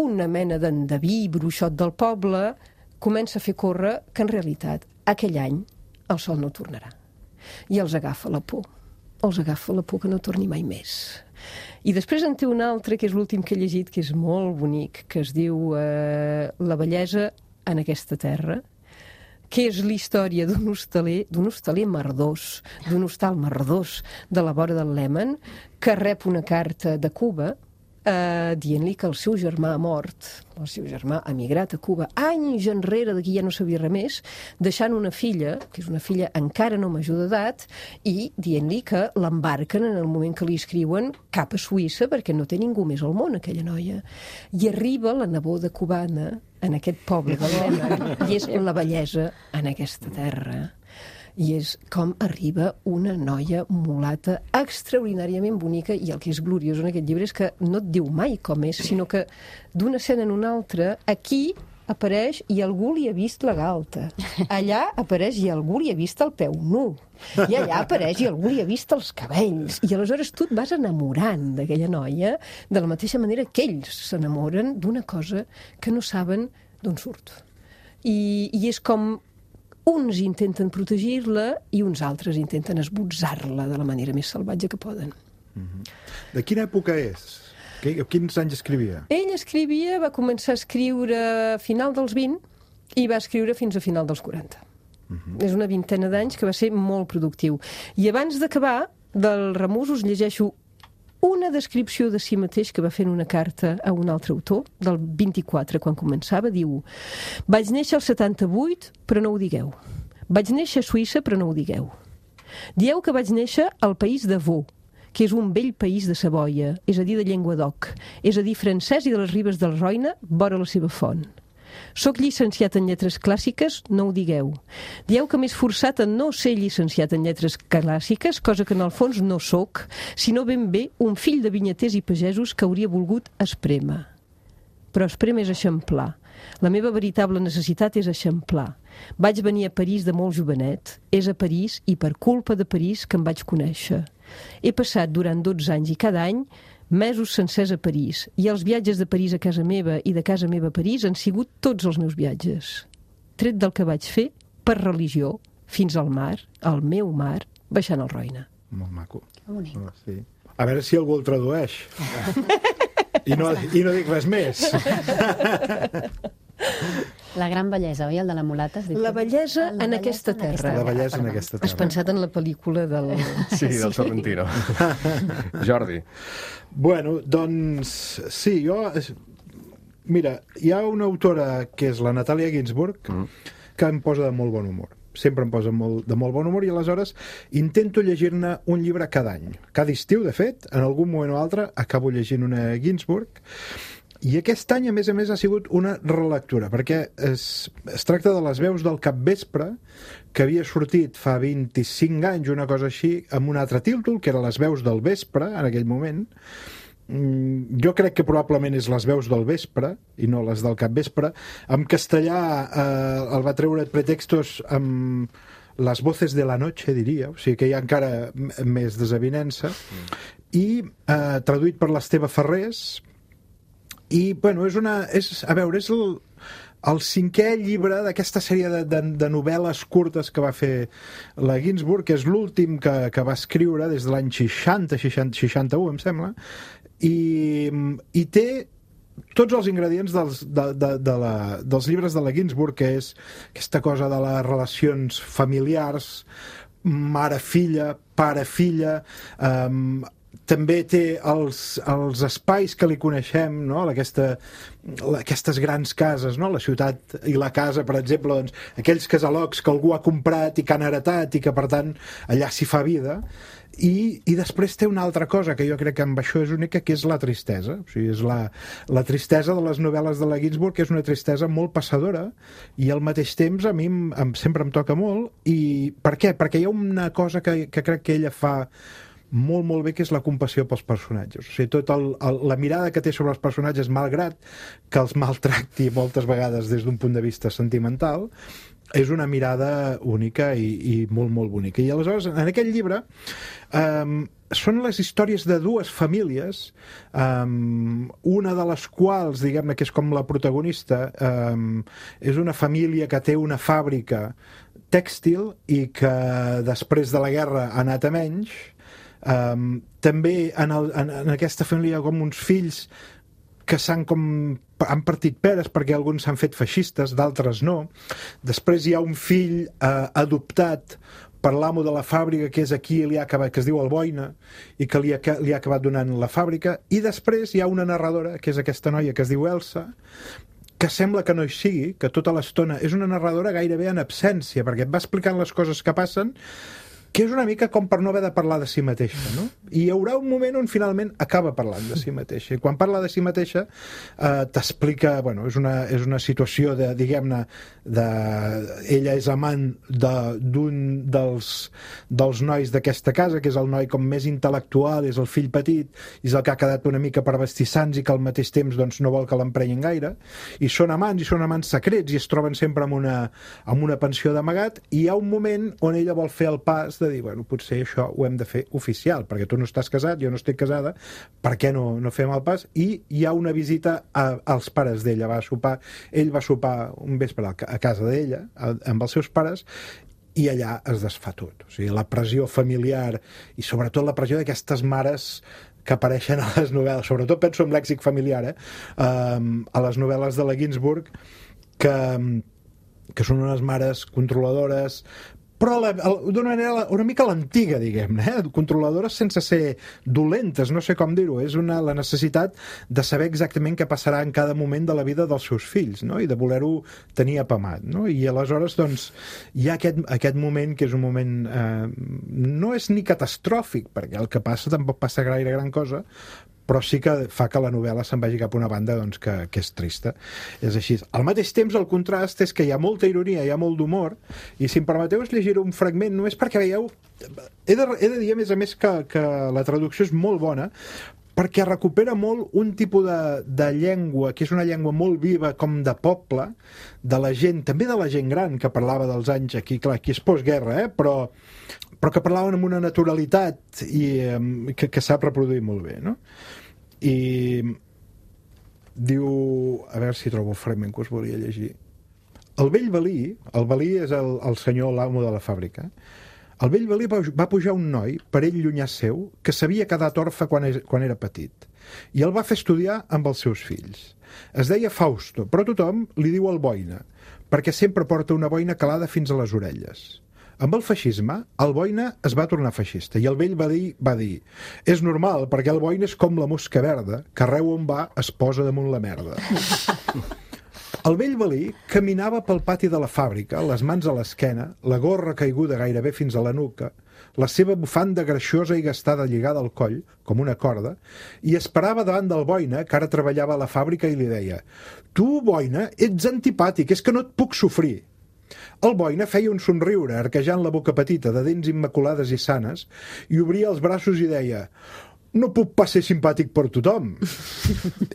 una mena d'endeví bruixot del poble comença a fer córrer que en realitat aquell any el sol no tornarà. I els agafa la por. Els agafa la por que no torni mai més. I després en té un altre, que és l'últim que he llegit, que és molt bonic, que es diu eh, La bellesa en aquesta terra, que és la història d'un hostaler, d'un hostaler merdós, d'un hostal merdós de la vora del Lèman, que rep una carta de Cuba eh, dient-li que el seu germà ha mort, el seu germà ha migrat a Cuba anys enrere, d'aquí ja no sabia res més, deixant una filla, que és una filla encara no major d'edat, i dient-li que l'embarquen en el moment que li escriuen cap a Suïssa, perquè no té ningú més al món, aquella noia. I arriba la neboda cubana en aquest poble del Lèman, i és la bellesa en aquesta terra. I és com arriba una noia mulata extraordinàriament bonica, i el que és gloriós en aquest llibre és que no et diu mai com és, sinó que d'una escena en una altra, aquí apareix i algú li ha vist la galta. Allà apareix i algú li ha vist el peu nu. I allà apareix i algú li ha vist els cabells. I aleshores tu et vas enamorant d'aquella noia de la mateixa manera que ells s'enamoren d'una cosa que no saben d'on surt. I, i és com uns intenten protegir-la i uns altres intenten esbotzar-la de la manera més salvatge que poden. Mm-hmm. De quina època és? Quins anys escrivia? Ell escrivia, va començar a escriure a final dels vint i va escriure fins a final dels quaranta. Mm-hmm. És una vintena d'anys que va ser molt productiu. I abans d'acabar, del Remús us llegeixo una descripció de si mateix que va fer en una carta a un altre autor, del vint-i-quatre, quan començava, diu: vaig néixer al setanta-vuit, però no ho digueu. Vaig néixer a Suïssa, però no ho digueu. Dieu que vaig néixer al país de Vaud, que és un vell país de Savoia, és a dir, de llengua d'oc, és a dir, francès i de les ribes del Roine, vora la seva font. Soc llicenciat en lletres clàssiques, no ho digueu. Dieu que m'he esforçat en no ser llicenciat en lletres clàssiques, cosa que en el fons no soc, sinó ben bé un fill de vinyaters i pagesos que hauria volgut esprémer. Però esprémer és eixamplar. La meva veritable necessitat és eixamplar. Vaig venir a París de molt jovenet. És a París i per culpa de París que em vaig conèixer. He passat durant dotze anys i cada any mesos sencers a París, i els viatges de París a casa meva i de casa meva a París han sigut tots els meus viatges. Tret del que vaig fer, per religió, fins al mar, al meu mar, baixant el Roine. Molt maco. Bonic. Oh, sí. A veure si algú el tradueix. I no, I no dic res més. La gran bellesa, oi? El de la mulata? La bellesa en, en aquesta terra. La bellesa en aquesta terra. Has pensat en la pel·lícula del... Sí, del Sorrentino. Jordi. Bueno, doncs, sí, jo... Mira, hi ha una autora que és la Natàlia Ginsburg, mm. que em posa de molt bon humor. Sempre em posa molt, de molt bon humor, i aleshores intento llegir-ne un llibre cada any. Cada estiu, de fet, en algun moment o altre, acabo llegint una Ginsburg. I aquest any, a més a més, ha sigut una relectura, perquè es, es tracta de Les veus del capvespre, que havia sortit fa vint-i-cinc anys, una cosa així, amb un altre títol, que era Les veus del vespre, en aquell moment. Jo crec que probablement és Les veus del vespre, i no les del capvespre. En castellà eh, el va treure pretextos amb Les voces de la noche, diria, o sigui que hi ha encara més desavinença. Mm. I eh, traduït per l'Esteve Ferrés. I, bueno, és una... És, a veure, és el, el cinquè llibre d'aquesta sèrie de, de, de novel·les curtes que va fer la Ginsburg, que és l'últim que, que va escriure des de l'any seixanta, seixanta, seixanta-u, em sembla, i, i té tots els ingredients dels, de, de, de la, dels llibres de la Ginsburg, que és aquesta cosa de les relacions familiars, mare-filla, pare-filla, um, també té els, els espais que li coneixem, no? Aquesta, aquestes grans cases, no? La ciutat i la casa, per exemple, doncs, aquells casalocs que algú ha comprat i que han heretat i que, per tant, allà s'hi fa vida. I, i després té una altra cosa que jo crec que amb això és única, que és la tristesa. O sigui, és la, la tristesa de les novel·les de la Ginsburg, que és una tristesa molt passadora, i al mateix temps a mi em, em, sempre em toca molt. I per què? Perquè hi ha una cosa que, que crec que ella fa molt, molt bé, que és la compassió pels personatges. O sigui, tot el, el, la mirada que té sobre els personatges, malgrat que els maltracti moltes vegades des d'un punt de vista sentimental, és una mirada única i, i molt, molt bonica. I aleshores, en aquest llibre, um, són les històries de dues famílies, um, una de les quals, diguem-ne, que és com la protagonista, um, és una família que té una fàbrica tèxtil i que després de la guerra ha anat a menys. Um, també en, el, en, en aquesta família hi ha com uns fills que s'han com han partit peres, perquè alguns s'han fet feixistes, d'altres no. Després hi ha un fill uh, adoptat per l'amo de la fàbrica, que és aquí, li ha acabat, que es diu Alboina, i que li ha, li ha acabat donant la fàbrica. I després hi ha una narradora, que és aquesta noia que es diu Elsa, que sembla que no hi sigui, que tota l'estona és una narradora gairebé en absència, perquè et va explicant les coses que passen, que és una mica com per no haver de parlar de si mateixa, no? i hi haurà un moment on finalment acaba parlant de si mateixa. I quan parla de si mateixa eh, t'explica, bueno, és una, és una situació de, diguem-ne, de... ella és amant d'un de, dels, dels nois d'aquesta casa, que és el noi com més intel·lectual, és el fill petit, és el que ha quedat una mica per vestir sants i que al mateix temps doncs, no vol que l'emprenyin gaire, i són amants, i són amants secrets, i es troben sempre en una, en una pensió d'amagat, i hi ha un moment on ella vol fer el pas de dir, bueno, potser això ho hem de fer oficial, perquè tu no estàs casat, jo no estic casada, per què no, no fem el pas? I hi ha una visita a, als pares d'ella, va sopar, ell va sopar un vespre a casa d'ella, amb els seus pares, i allà es desfà tot. O sigui, la pressió familiar i sobretot la pressió d'aquestes mares que apareixen a les novel·les, sobretot penso en lèxic familiar, eh? Um, a les novel·les de la Ginsburg, que, que són unes mares controladores, però d'una manera una mica l'antiga, diguem-ne, eh? Controladores sense ser dolentes, no sé com dir-ho, és una, la necessitat de saber exactament què passarà en cada moment de la vida dels seus fills, no? I de voler-ho tenir apamat, no? I aleshores, doncs, hi ha aquest, aquest moment que és un moment eh, no és ni catastròfic, perquè el que passa tampoc passa gaire gran cosa, però sí que fa que la novel·la se'n vagi cap a una banda doncs, que, que és trista. És així. Al mateix temps, el contrast és que hi ha molta ironia, hi ha molt d'humor, i si em permeteu es llegiré un fragment, només perquè veieu... He de, he de dir, a més a més, que, que la traducció és molt bona, perquè recupera molt un tipus de, de llengua, que és una llengua molt viva, com de poble, de la gent, també de la gent gran, que parlava dels anys aquí, clar, aquí és postguerra, eh? però, però que parlaven amb una naturalitat i eh, que, que sap reproduir molt bé, no? I diu, a veure si trobo el fragment que us volia llegir. El vell Valí, el Valí és el, el senyor, l'amo de la fàbrica, el vell Valí va, va pujar un noi, per ell llunyà seu, que s'havia quedat orfe quan, quan era petit, i el va fer estudiar amb els seus fills. Es deia Fausto, però tothom li diu el boina, perquè sempre porta una boina calada fins a les orelles. Amb el feixisme, el boina es va tornar feixista, i el vell va dir, va dir és normal, perquè el boina és com la mosca verda, que arreu on va es posa damunt la merda. El vell Valí caminava pel pati de la fàbrica, les mans a l'esquena, la gorra caiguda gairebé fins a la nuca, la seva bufanda greixosa i gastada lligada al coll, com una corda, i esperava davant del boina, que ara treballava a la fàbrica, i li deia «Tu, boina, ets antipàtic, és que no et puc sofrir». El boina feia un somriure, arquejant la boca petita, de dents immaculades i sanes, i obria els braços i deia «No puc pas ser simpàtic per tothom».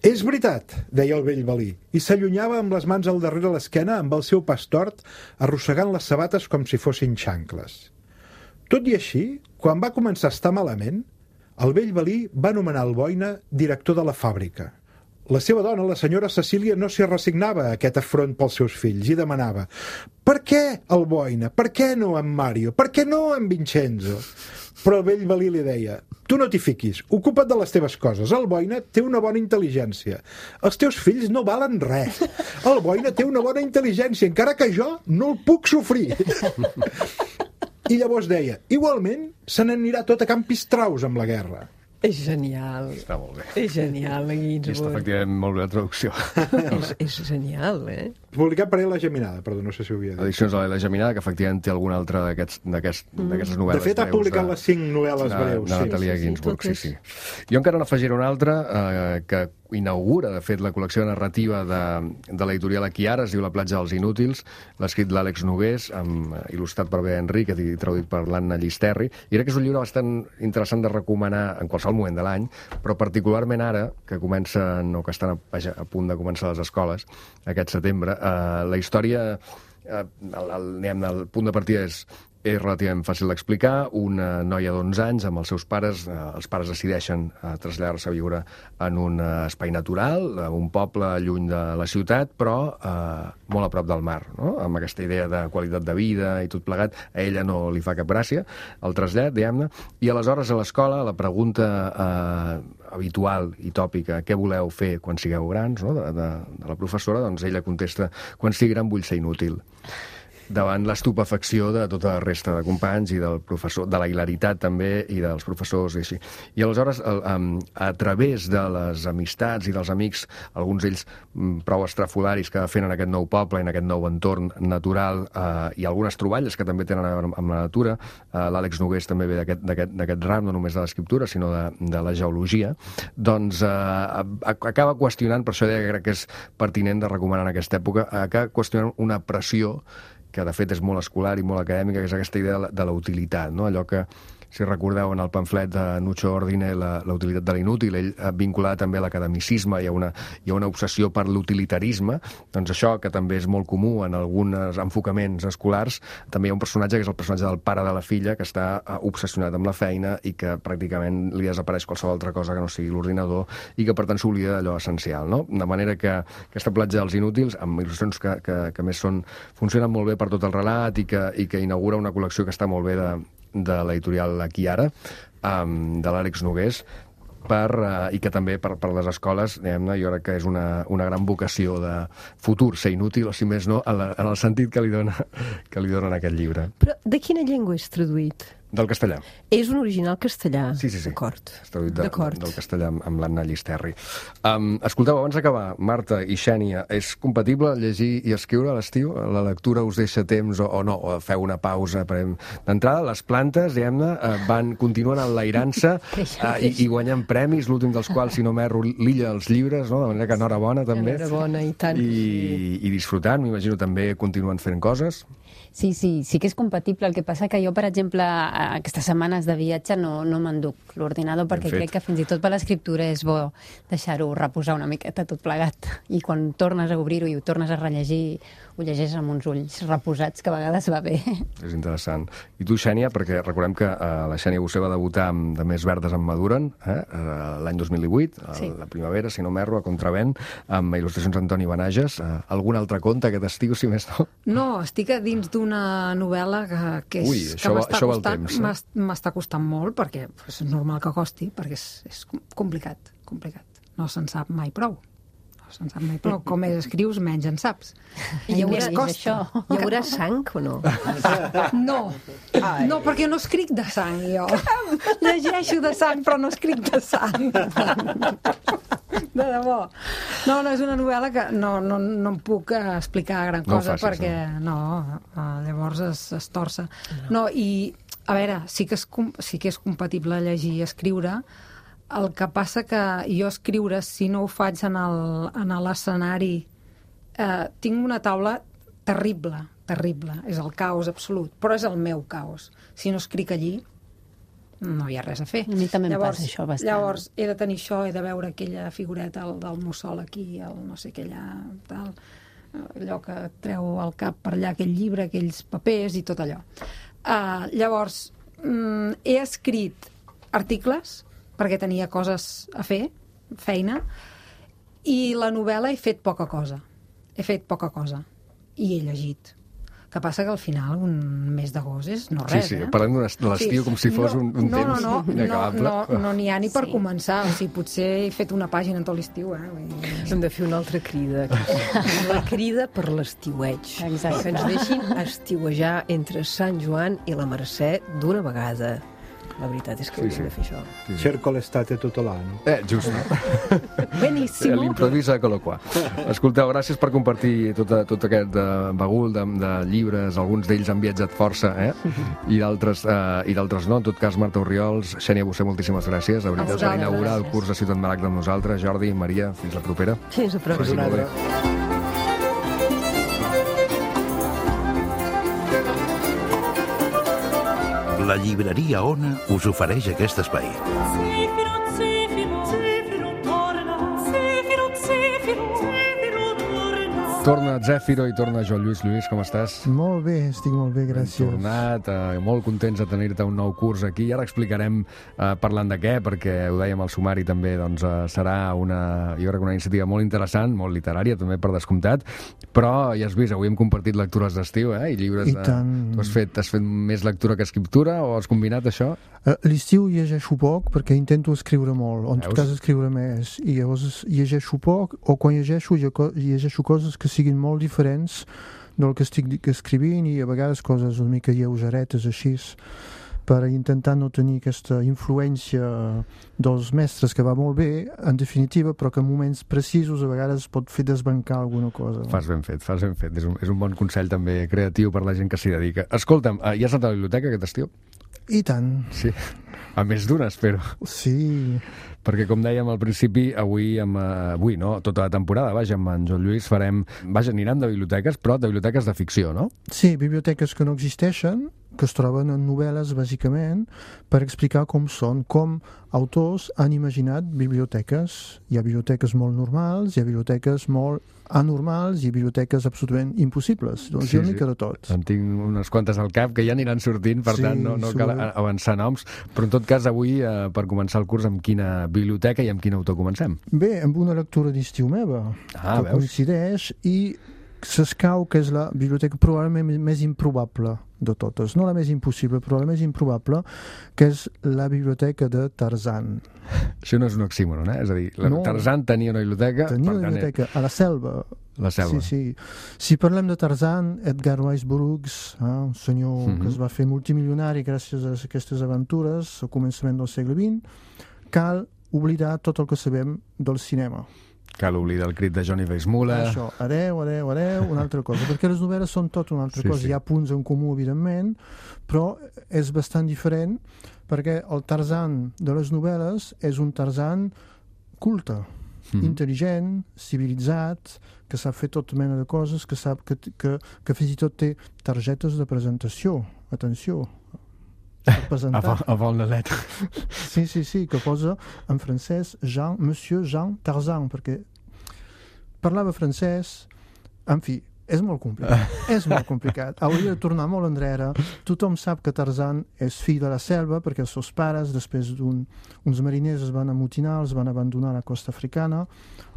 «És veritat», deia el vell Valí, i s'allunyava amb les mans al darrere l'esquena amb el seu pas tort, arrossegant les sabates com si fossin xancles. Tot i així, quan va començar a estar malament, el vell Valí va nomenar el boina director de la fàbrica. La seva dona, la senyora Cecília, no s'hi resignava a aquest afront pels seus fills i demanava «Per què el boina? Per què no en Mario? Per què no en Vincenzo?» Però el vell Valí li deia «Tu no t'hi fiquis, ocupa't de les teves coses. El boina té una bona intel·ligència. Els teus fills no valen res. El boina té una bona intel·ligència, encara que jo no el puc sofrir». I llavors deia «Igualment, se n'anirà tot a Can Pistraus amb la guerra». És genial. Està molt bé. És genial, la Ginsburg. I està efectivament molt bé la traducció. és, és genial, eh? Publicat per la Geminada, perdó, no sé si ho havia dit. Edicions de la Geminada, que efectivament té alguna altra d'aquests d'aquest, mm. d'aquestes novel·les. De fet, ha publicat de, les cinc novel·les de, breus. De Natalia sí, Ginsburg, sí, sí, sí. Jo encara n'afegiré una altra eh, que inaugura, de fet, la col·lecció narrativa de, de l'editorial Aquiara, es diu La platja dels inútils, l'ha escrit l'Àlex Nogués, amb, il·lustrat per Bea Enric, i traduït per l'Anna Llisterri, i crec que és un llibre bastant interessant de recomanar en qualsevol moment de l'any, però particularment ara, que comencen, o que estan a, a punt de començar les escoles, aquest setembre, eh, la història, eh, el, el, el punt de partida és és relativament fàcil d'explicar. Una noia d'onze anys amb els seus pares, eh, els pares decideixen eh, traslladar-se a viure en un eh, espai natural, eh, un poble lluny de la ciutat, però eh, molt a prop del mar, no? Amb aquesta idea de qualitat de vida i tot plegat. A ella no li fa cap gràcia el trasllat, diguem-ne, i aleshores a l'escola la pregunta eh, habitual i tòpica, què voleu fer quan sigueu grans, no? de, de, de la professora, doncs ella contesta, quan sigui gran vull ser inútil. davant l'estupefacció de tota la resta de companys i del professor, de la hilaritat també, i dels professors i així. I aleshores, el, um, a través de les amistats i dels amics, alguns d'ells um, prou estrafolaris que fent en aquest nou poble, en aquest nou entorn natural, uh, i algunes troballes que també tenen a veure amb la natura, uh, l'Àlex Nogués també ve d'aquest ram, no només de l'escriptura, sinó de, de la geologia, doncs uh, acaba qüestionant, per això deia que crec que és pertinent de recomanar en aquesta època, acaba qüestionant una pressió que de fet és molt escolar i molt acadèmica, que és aquesta idea de la utilitat, no? Allò que, si recordeu en el pamflet de Nucho Ordine, la, la utilitat de l'inútil, ell vinculada també a l'academicisme i a una, i a una obsessió per l'utilitarisme, doncs això, que també és molt comú en alguns enfocaments escolars, també hi ha un personatge que és el personatge del pare de la filla, que està obsessionat amb la feina i que pràcticament li desapareix qualsevol altra cosa que no sigui l'ordinador i que per tant s'oblida d'allò essencial, no? De manera que aquesta platja dels inútils, amb il·lustracions que, que, que més són, funcionen molt bé per tot el relat i que, i que inaugura una col·lecció que està molt bé de de l'editorial Aquí Ara, um, de l'Àlex Nogués, per, uh, i que també per, per les escoles, diguem-ne, jo crec que és una, una gran vocació de futur, ser inútil, o si més no, en, la, en el sentit que li dona, que li dona en aquest llibre. Però de quina llengua és traduït? Del castellà. És un original castellà. Sí, sí, sí. D'acord. És traduït de, del castellà amb, amb l'Anna Llisterri. Um, escolteu, abans d'acabar, Marta i Xènia, és compatible llegir i escriure a l'estiu? La lectura us deixa temps o, o no? O feu una pausa? D'entrada, les plantes, diguem-ne, van continuant enlairant-se uh, i, i guanyant premis, l'últim dels quals, si no m'erro, l'Illa dels Llibres, no? De manera que enhorabona, també. Enhorabona, i tant. I, i disfrutant, m'imagino, també continuen fent coses. Sí, sí, sí que és compatible. El que passa que jo, per exemple, aquestes setmanes de viatge no, no m'enduc l'ordinador perquè crec que fins i tot per l'escriptura és bo deixar-ho reposar una miqueta tot plegat. I quan tornes a obrir-ho i ho tornes a rellegir, ho llegeix amb uns ulls reposats, que a vegades va bé. És interessant. I tu, Xènia, perquè recordem que uh, la Xènia Bossé va debutar amb De més verdes en maduren, eh? uh, l'any dos mil divuit, sí. La primavera, si no m'erro, a Contravent, amb il·lustracions d'Antoni Benages. Uh, algun altre conte aquest estiu, si més no? No, estic a dins d'una novel·la que, que, és, Ui, que m'està costant, eh? m'està costant molt, perquè és normal que costi, perquè és, és complicat, complicat. No se'n sap mai prou. No se'n sap mai prou. Com més escrius, menys en saps. I hi haurà, això. Hi haurà sang o no? No. Ai. No, perquè no escric de sang, jo. Llegeixo de sang, però no escric de sang. De debò. No, no, és una novel·la que no, no, no em puc explicar gran cosa, no facis, perquè no, llavors es, es torça. No, i, a veure, sí que és, sí que és compatible llegir i escriure. El que passa que jo escriure, si no ho faig en l'escenari, eh, tinc una taula terrible, terrible. És el caos absolut, però és el meu caos. Si no escric allí, no hi ha res a fer. A mi també llavors, em passa això bastant. Llavors, he de tenir això, he de veure aquella figureta el, del mussol aquí, el no sé què allà, tal, allò que treu al cap per allà, aquell llibre, aquells papers i tot allò. Uh, llavors, mm, he escrit articles perquè tenia coses a fer, feina, i la novel·la he fet poca cosa. He fet poca cosa. I he llegit. Que passa que al final un mes d'agost és no res, sí, sí, eh? Parlem de l'estiu sí. com si fos no, un, un no, temps no, no, inacabable. No, no, no n'hi ha ni per sí. començar. O sigui, potser he fet una pàgina en tot l'estiu, eh? Hem de fer una altra crida. La crida per l'estiueig. Exacte. Que ens deixin estiuejar entre Sant Joan i la Mercè d'una vegada. La veritat és que sí, hauríem sí. de fer això. Sí, sí. Cerco l'estate tutto l'anno. Eh, just. Benissimo. L'improvisa colo qua. Escolteu, gràcies per compartir tot, tot aquest uh, bagul de, de llibres, alguns d'ells han viatjat força, eh? I d'altres uh, i d'altres no. En tot cas, Marta Orriols, Xènia Bossé, moltíssimes gràcies. De veritat, per inaugurar el curs de Ciutat Maragda amb nosaltres. Jordi, Maria, fins la propera. Fins la propera. La llibreria Ona us ofereix aquest espai. Torna Zèfiro i torna Joan Lluís. Lluís, com estàs? Molt bé, estic molt bé, gràcies. Hem tornat, eh, molt contents de tenir-te un nou curs aquí. I ara explicarem eh, parlant de què, perquè ho dèiem al sumari també, doncs eh, serà una, jo crec, una iniciativa molt interessant, molt literària, també per descomptat, però ja has vist, avui hem compartit lectures d'estiu, eh, i llibres... I tant. Tu has fet, has fet més lectura que escriptura, o has combinat això? Uh, L'estiu llegeixo poc, perquè intento escriure molt, o en tot cas escriure més, i llavors llegeixo poc, o quan llegeixo, llegeixo coses que siguin molt diferents del que estic escrivint, i a vegades coses una mica lleugeretes així, per intentar no tenir aquesta influència dels mestres, que va molt bé, en definitiva, però que en moments precisos a vegades pot fer desbancar alguna cosa. No? Fas ben fet, fas ben fet. És un, és un bon consell també creatiu per la gent que s'hi dedica. Escolta'm, ja has anat a la biblioteca aquest estiu? I tant. Sí, a més d'una, espero. Sí. Perquè, com dèiem al principi, avui, amb, uh, avui no? tota la temporada, vaja, amb en Joan Lluís farem... Vaja, anirem de biblioteques, però de biblioteques de ficció, no? Sí, biblioteques que no existeixen, que es troben en novel·les, bàsicament, per explicar com són, com autors han imaginat biblioteques. Hi ha biblioteques molt normals, hi ha biblioteques molt anormals i biblioteques absolutament impossibles. Doncs sí, hi ha una mica de tot. En tinc unes quantes al cap que ja aniran sortint, per sí, tant no, no cal avançar noms, però en tot cas avui, eh, per començar el curs, amb quina biblioteca i amb quin autor comencem? Bé, amb una lectura d'estiu meva, ah, que veus? coincideix, i s'escau que és la biblioteca probablement més improbable de totes, no la més impossible, però la més improbable, que és la biblioteca de Tarzan. Això no és un oxímoron, eh? És a dir, la no, Tarzan tenia una biblioteca... Tenia una biblioteca a la selva. La selva. Sí, sí. Si parlem de Tarzan, Edgar Rice Burroughs, eh, un senyor mm-hmm. que es va fer multimilionari gràcies a aquestes aventures al començament del segle vint, cal oblidar tot el que sabem del cinema. Cal oblidar el crit de Johnny Weissmuller. Això, adeu, adeu, adeu, una altra cosa. Perquè les novel·les són tot una altra sí, cosa. Sí. Hi ha punts en comú, evidentment, però és bastant diferent perquè el Tarzan de les novel·les és un Tarzan culte, mm. intel·ligent, civilitzat, que sap fer tota mena de coses, que sap que, que, que fins i tot té targetes de presentació. Atenció, avant, avant la lettre. Sí, sí, sí, que posa en francès Jean, Monsieur Jean Tarzan, perquè parlava francès, en fi, és molt complicat, és molt complicat. Hauria de tornar molt enrere. Tothom sap que Tarzan és fill de la selva, perquè els seus pares, després d'uns un, mariners es van amotinar, els van abandonar a la costa africana,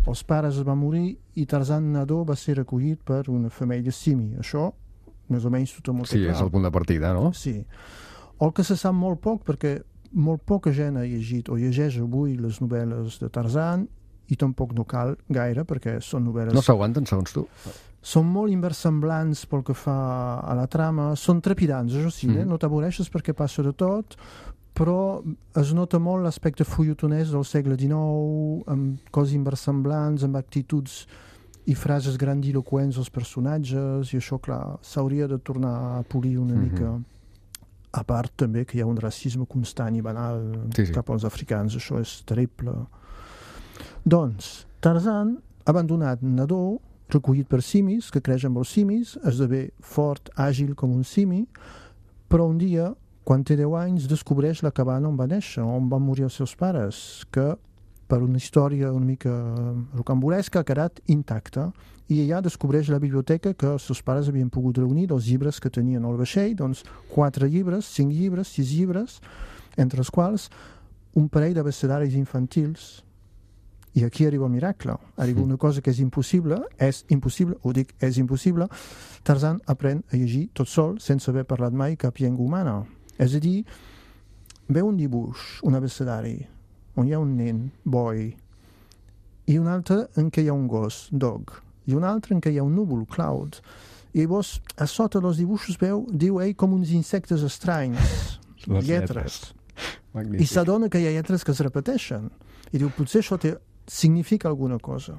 els pares es van morir i Tarzan nadó va ser recollit per una família simi. Això, més o menys, tothom ho té sí, clar. És el punt de partida, no? Sí. El que se sap molt poc, perquè molt poca gent ha llegit o llegeix avui les novel·les de Tarzan, i tampoc no cal gaire, perquè són novel·les... No s'aguanten, segons tu? Són molt inversemblants pel que fa a la trama, són trepidants, això sí, mm. eh? No t'avoreixes perquè passa de tot, però es nota molt l'aspecte fulletonès del segle dinou, amb coses inversemblants, amb actituds i frases grandiloquents dels personatges, i això, clar, s'hauria de tornar a polir una mm-hmm. mica... A part també que hi ha un racisme constant i banal sí, sí. cap als africans, això és terrible. Doncs, Tarzan, abandonat nadó, recollit per simis, que creix amb els simis, esdevé fort, àgil com un simi, però un dia, quan té deu anys, descobreix la cabana on va néixer, on van morir els seus pares, que per una història una mica rocambolesca ha quedat intacta, i allà descobreix la biblioteca que els seus pares havien pogut reunir dels llibres que tenien al vaixell, doncs quatre llibres, cinc llibres, sis llibres, entre els quals un parell d'abecedaris infantils. I aquí arriba el miracle, arriba una cosa que és impossible, és impossible, ho dic, és impossible. Tarzan aprèn a llegir tot sol, sense haver parlat mai cap llengua humana. És a dir, veu un dibuix, un abecedari, on hi ha un nen, boy, i un altre en què hi ha un gos, dog, i un altre en què hi ha un núvol, cloud. I llavors, a sota dels dibuixos veu, diu ell, com uns insectes estranys, les lletres. lletres. I s'adona que hi ha lletres que es repeteixen. I diu, potser això té, significa alguna cosa.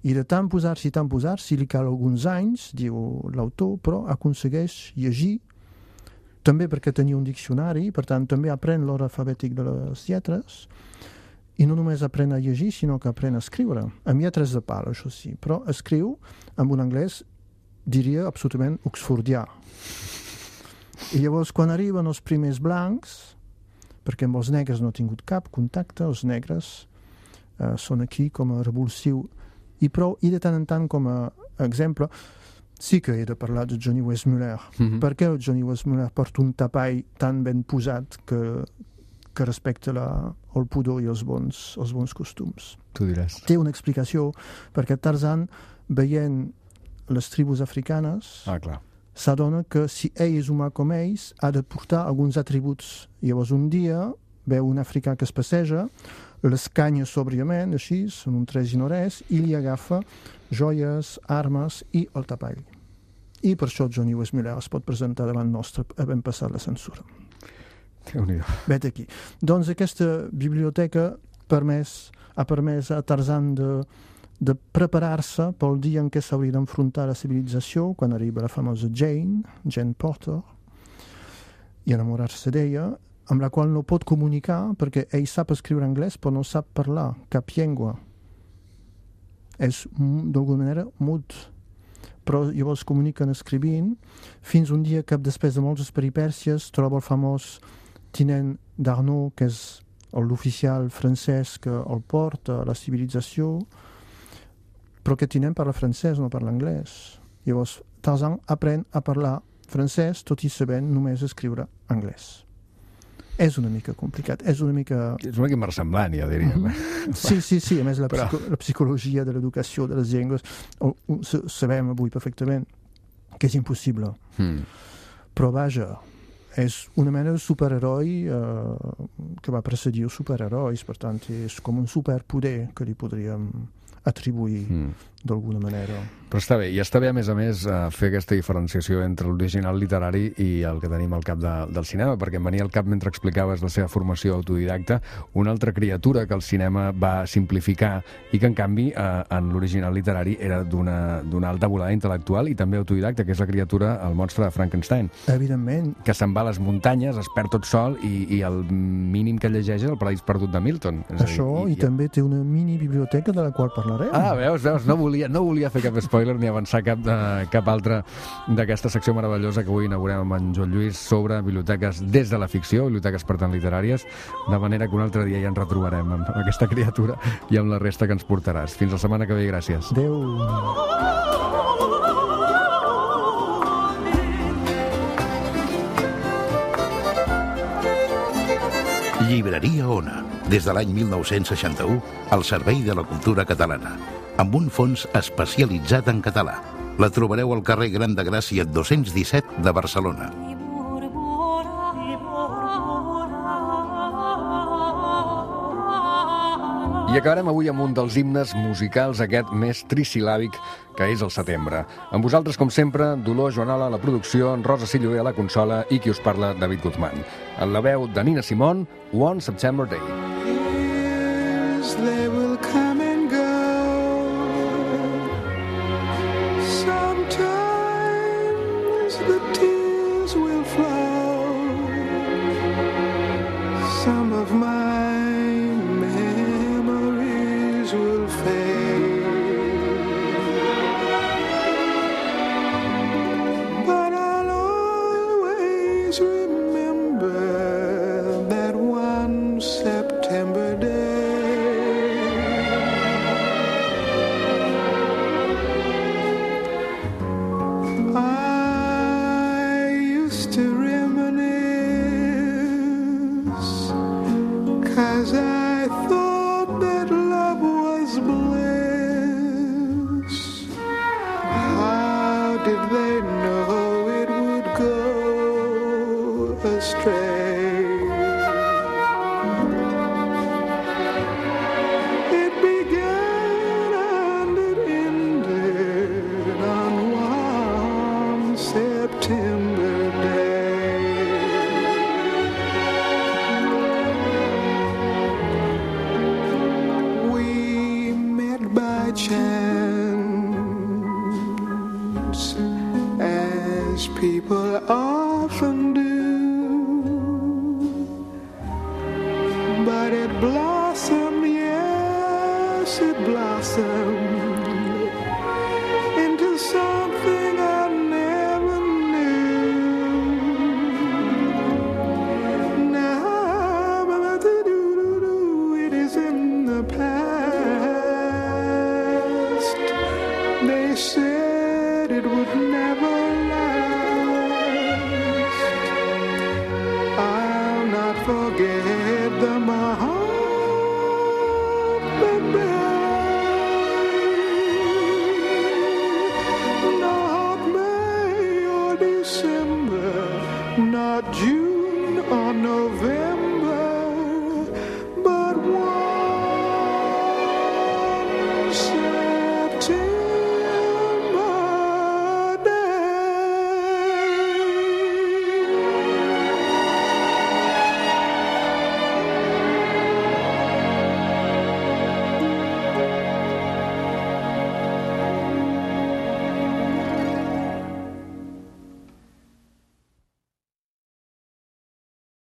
I de tant posar-s'hi, tant posar-s'hi, li cal alguns anys, diu l'autor, però aconsegueix llegir, també perquè tenia un diccionari, per tant, també aprèn l'ordre alfabètic de les lletres, i no només aprèn a llegir, sinó que aprèn a escriure, amb lletres de pal, això sí, però escriu amb un anglès, diria, absolutament oxfordià. I llavors, quan arriben els primers blancs, perquè amb els negres no ha tingut cap contacte, els negres eh, són aquí com a revulsiu, i prou, i de tant en tant com a exemple, sí que he de parlar de Johnny Weissmuller. Mm-hmm. Per què Johnny Weissmuller porta un tapall tan ben posat que, que respecta la, el pudor i els bons, els bons costums? Tu diràs. Té una explicació, perquè Tarzan, veient les tribus africanes, ah, clar. s'adona que si ell és humà com ells, ha de portar alguns atributs. Llavors un dia veu un africà que es passeja, l'escanya sòbriament, així, són un tres i no res, i li agafa joies, armes i el tapall. i per això Johnny Weissmuller es pot presentar davant nostre havent passat la censura. Déu-n'hi-do. Vet aquí. Doncs aquesta biblioteca permès, ha permès a Tarzan de, de preparar-se pel dia en què s'hauria d'enfrontar a la civilització, quan arriba la famosa Jane, Jane Porter, i enamorar-se d'ella, amb la qual no pot comunicar perquè ell sap escriure anglès però no sap parlar cap llengua. És d'alguna manera mut, però llavors comuniquen escrivint fins un dia que després de moltes peripècies troba el famós tinent d'Arnaud, que és l'oficial francès que el porta a la civilització, però que tinent parla francès, no parla anglès. Llavors Tarzan aprèn a parlar francès tot i sabent només escriure anglès. És una mica complicat, és una mica... És una mica inversemblant, ja diríem. Mm-hmm. Sí, sí, sí, a més la, psico Però... la psicologia de l'educació de les llengües o, o, sabem avui perfectament que és impossible. Mm. Però vaja, és una mena de superheroi eh, que va precedir els superherois, per tant és com un superpoder que li podríem atribuir mm. d'alguna manera. Però està bé, i està bé a més a més fer aquesta diferenciació entre l'original literari i el que tenim al cap de, del cinema, perquè em venia al cap mentre explicaves la seva formació autodidacta una altra criatura que el cinema va simplificar i que en canvi eh, en l'original literari era d'una alta volada intel·lectual i també autodidacta, que és la criatura, el monstre de Frankenstein. Evidentment. Que se'n va a les muntanyes, es perd tot sol i, i el mínim que llegeix és el Paraís perdut de Milton. És Això, dir, i, i, i també té una mini biblioteca de la qual parlarem. Ah, veus, veus, no volia, no volia fer cap spoiler ni avançar cap, de, cap altra d'aquesta secció meravellosa que avui inaugurem amb en Joan Lluís sobre biblioteques des de la ficció, biblioteques per tant literàries, de manera que un altre dia ja ens retrobarem amb aquesta criatura i amb la resta que ens portaràs. Fins la setmana que ve i gràcies. Adéu. Llibreria Ona, des de l'any mil nou-cents seixanta-u, al servei de la cultura catalana, amb un fons especialitzat en català. La trobareu al carrer Gran de Gràcia dos-cents disset de Barcelona. I acabarem avui amb un dels himnes musicals, aquest més trisil·làbic que és el setembre. Amb vosaltres, com sempre, Dolors Joanola a la producció, Rosa Silloé a la consola i qui us parla, David Guzmán. En la veu de Nina Simone, One September Day. Years they will come and go. Sometimes the tears will flow. Some of my memories will fade, but I'll always remember that one September day. I used to reminisce, 'cause I thought that love was bliss. How did they know it would go astray? It began and it ended on one September day. We met by chance, as people often do, but it blossomed, yes, it blossomed into something I never knew. Now, it is in the past.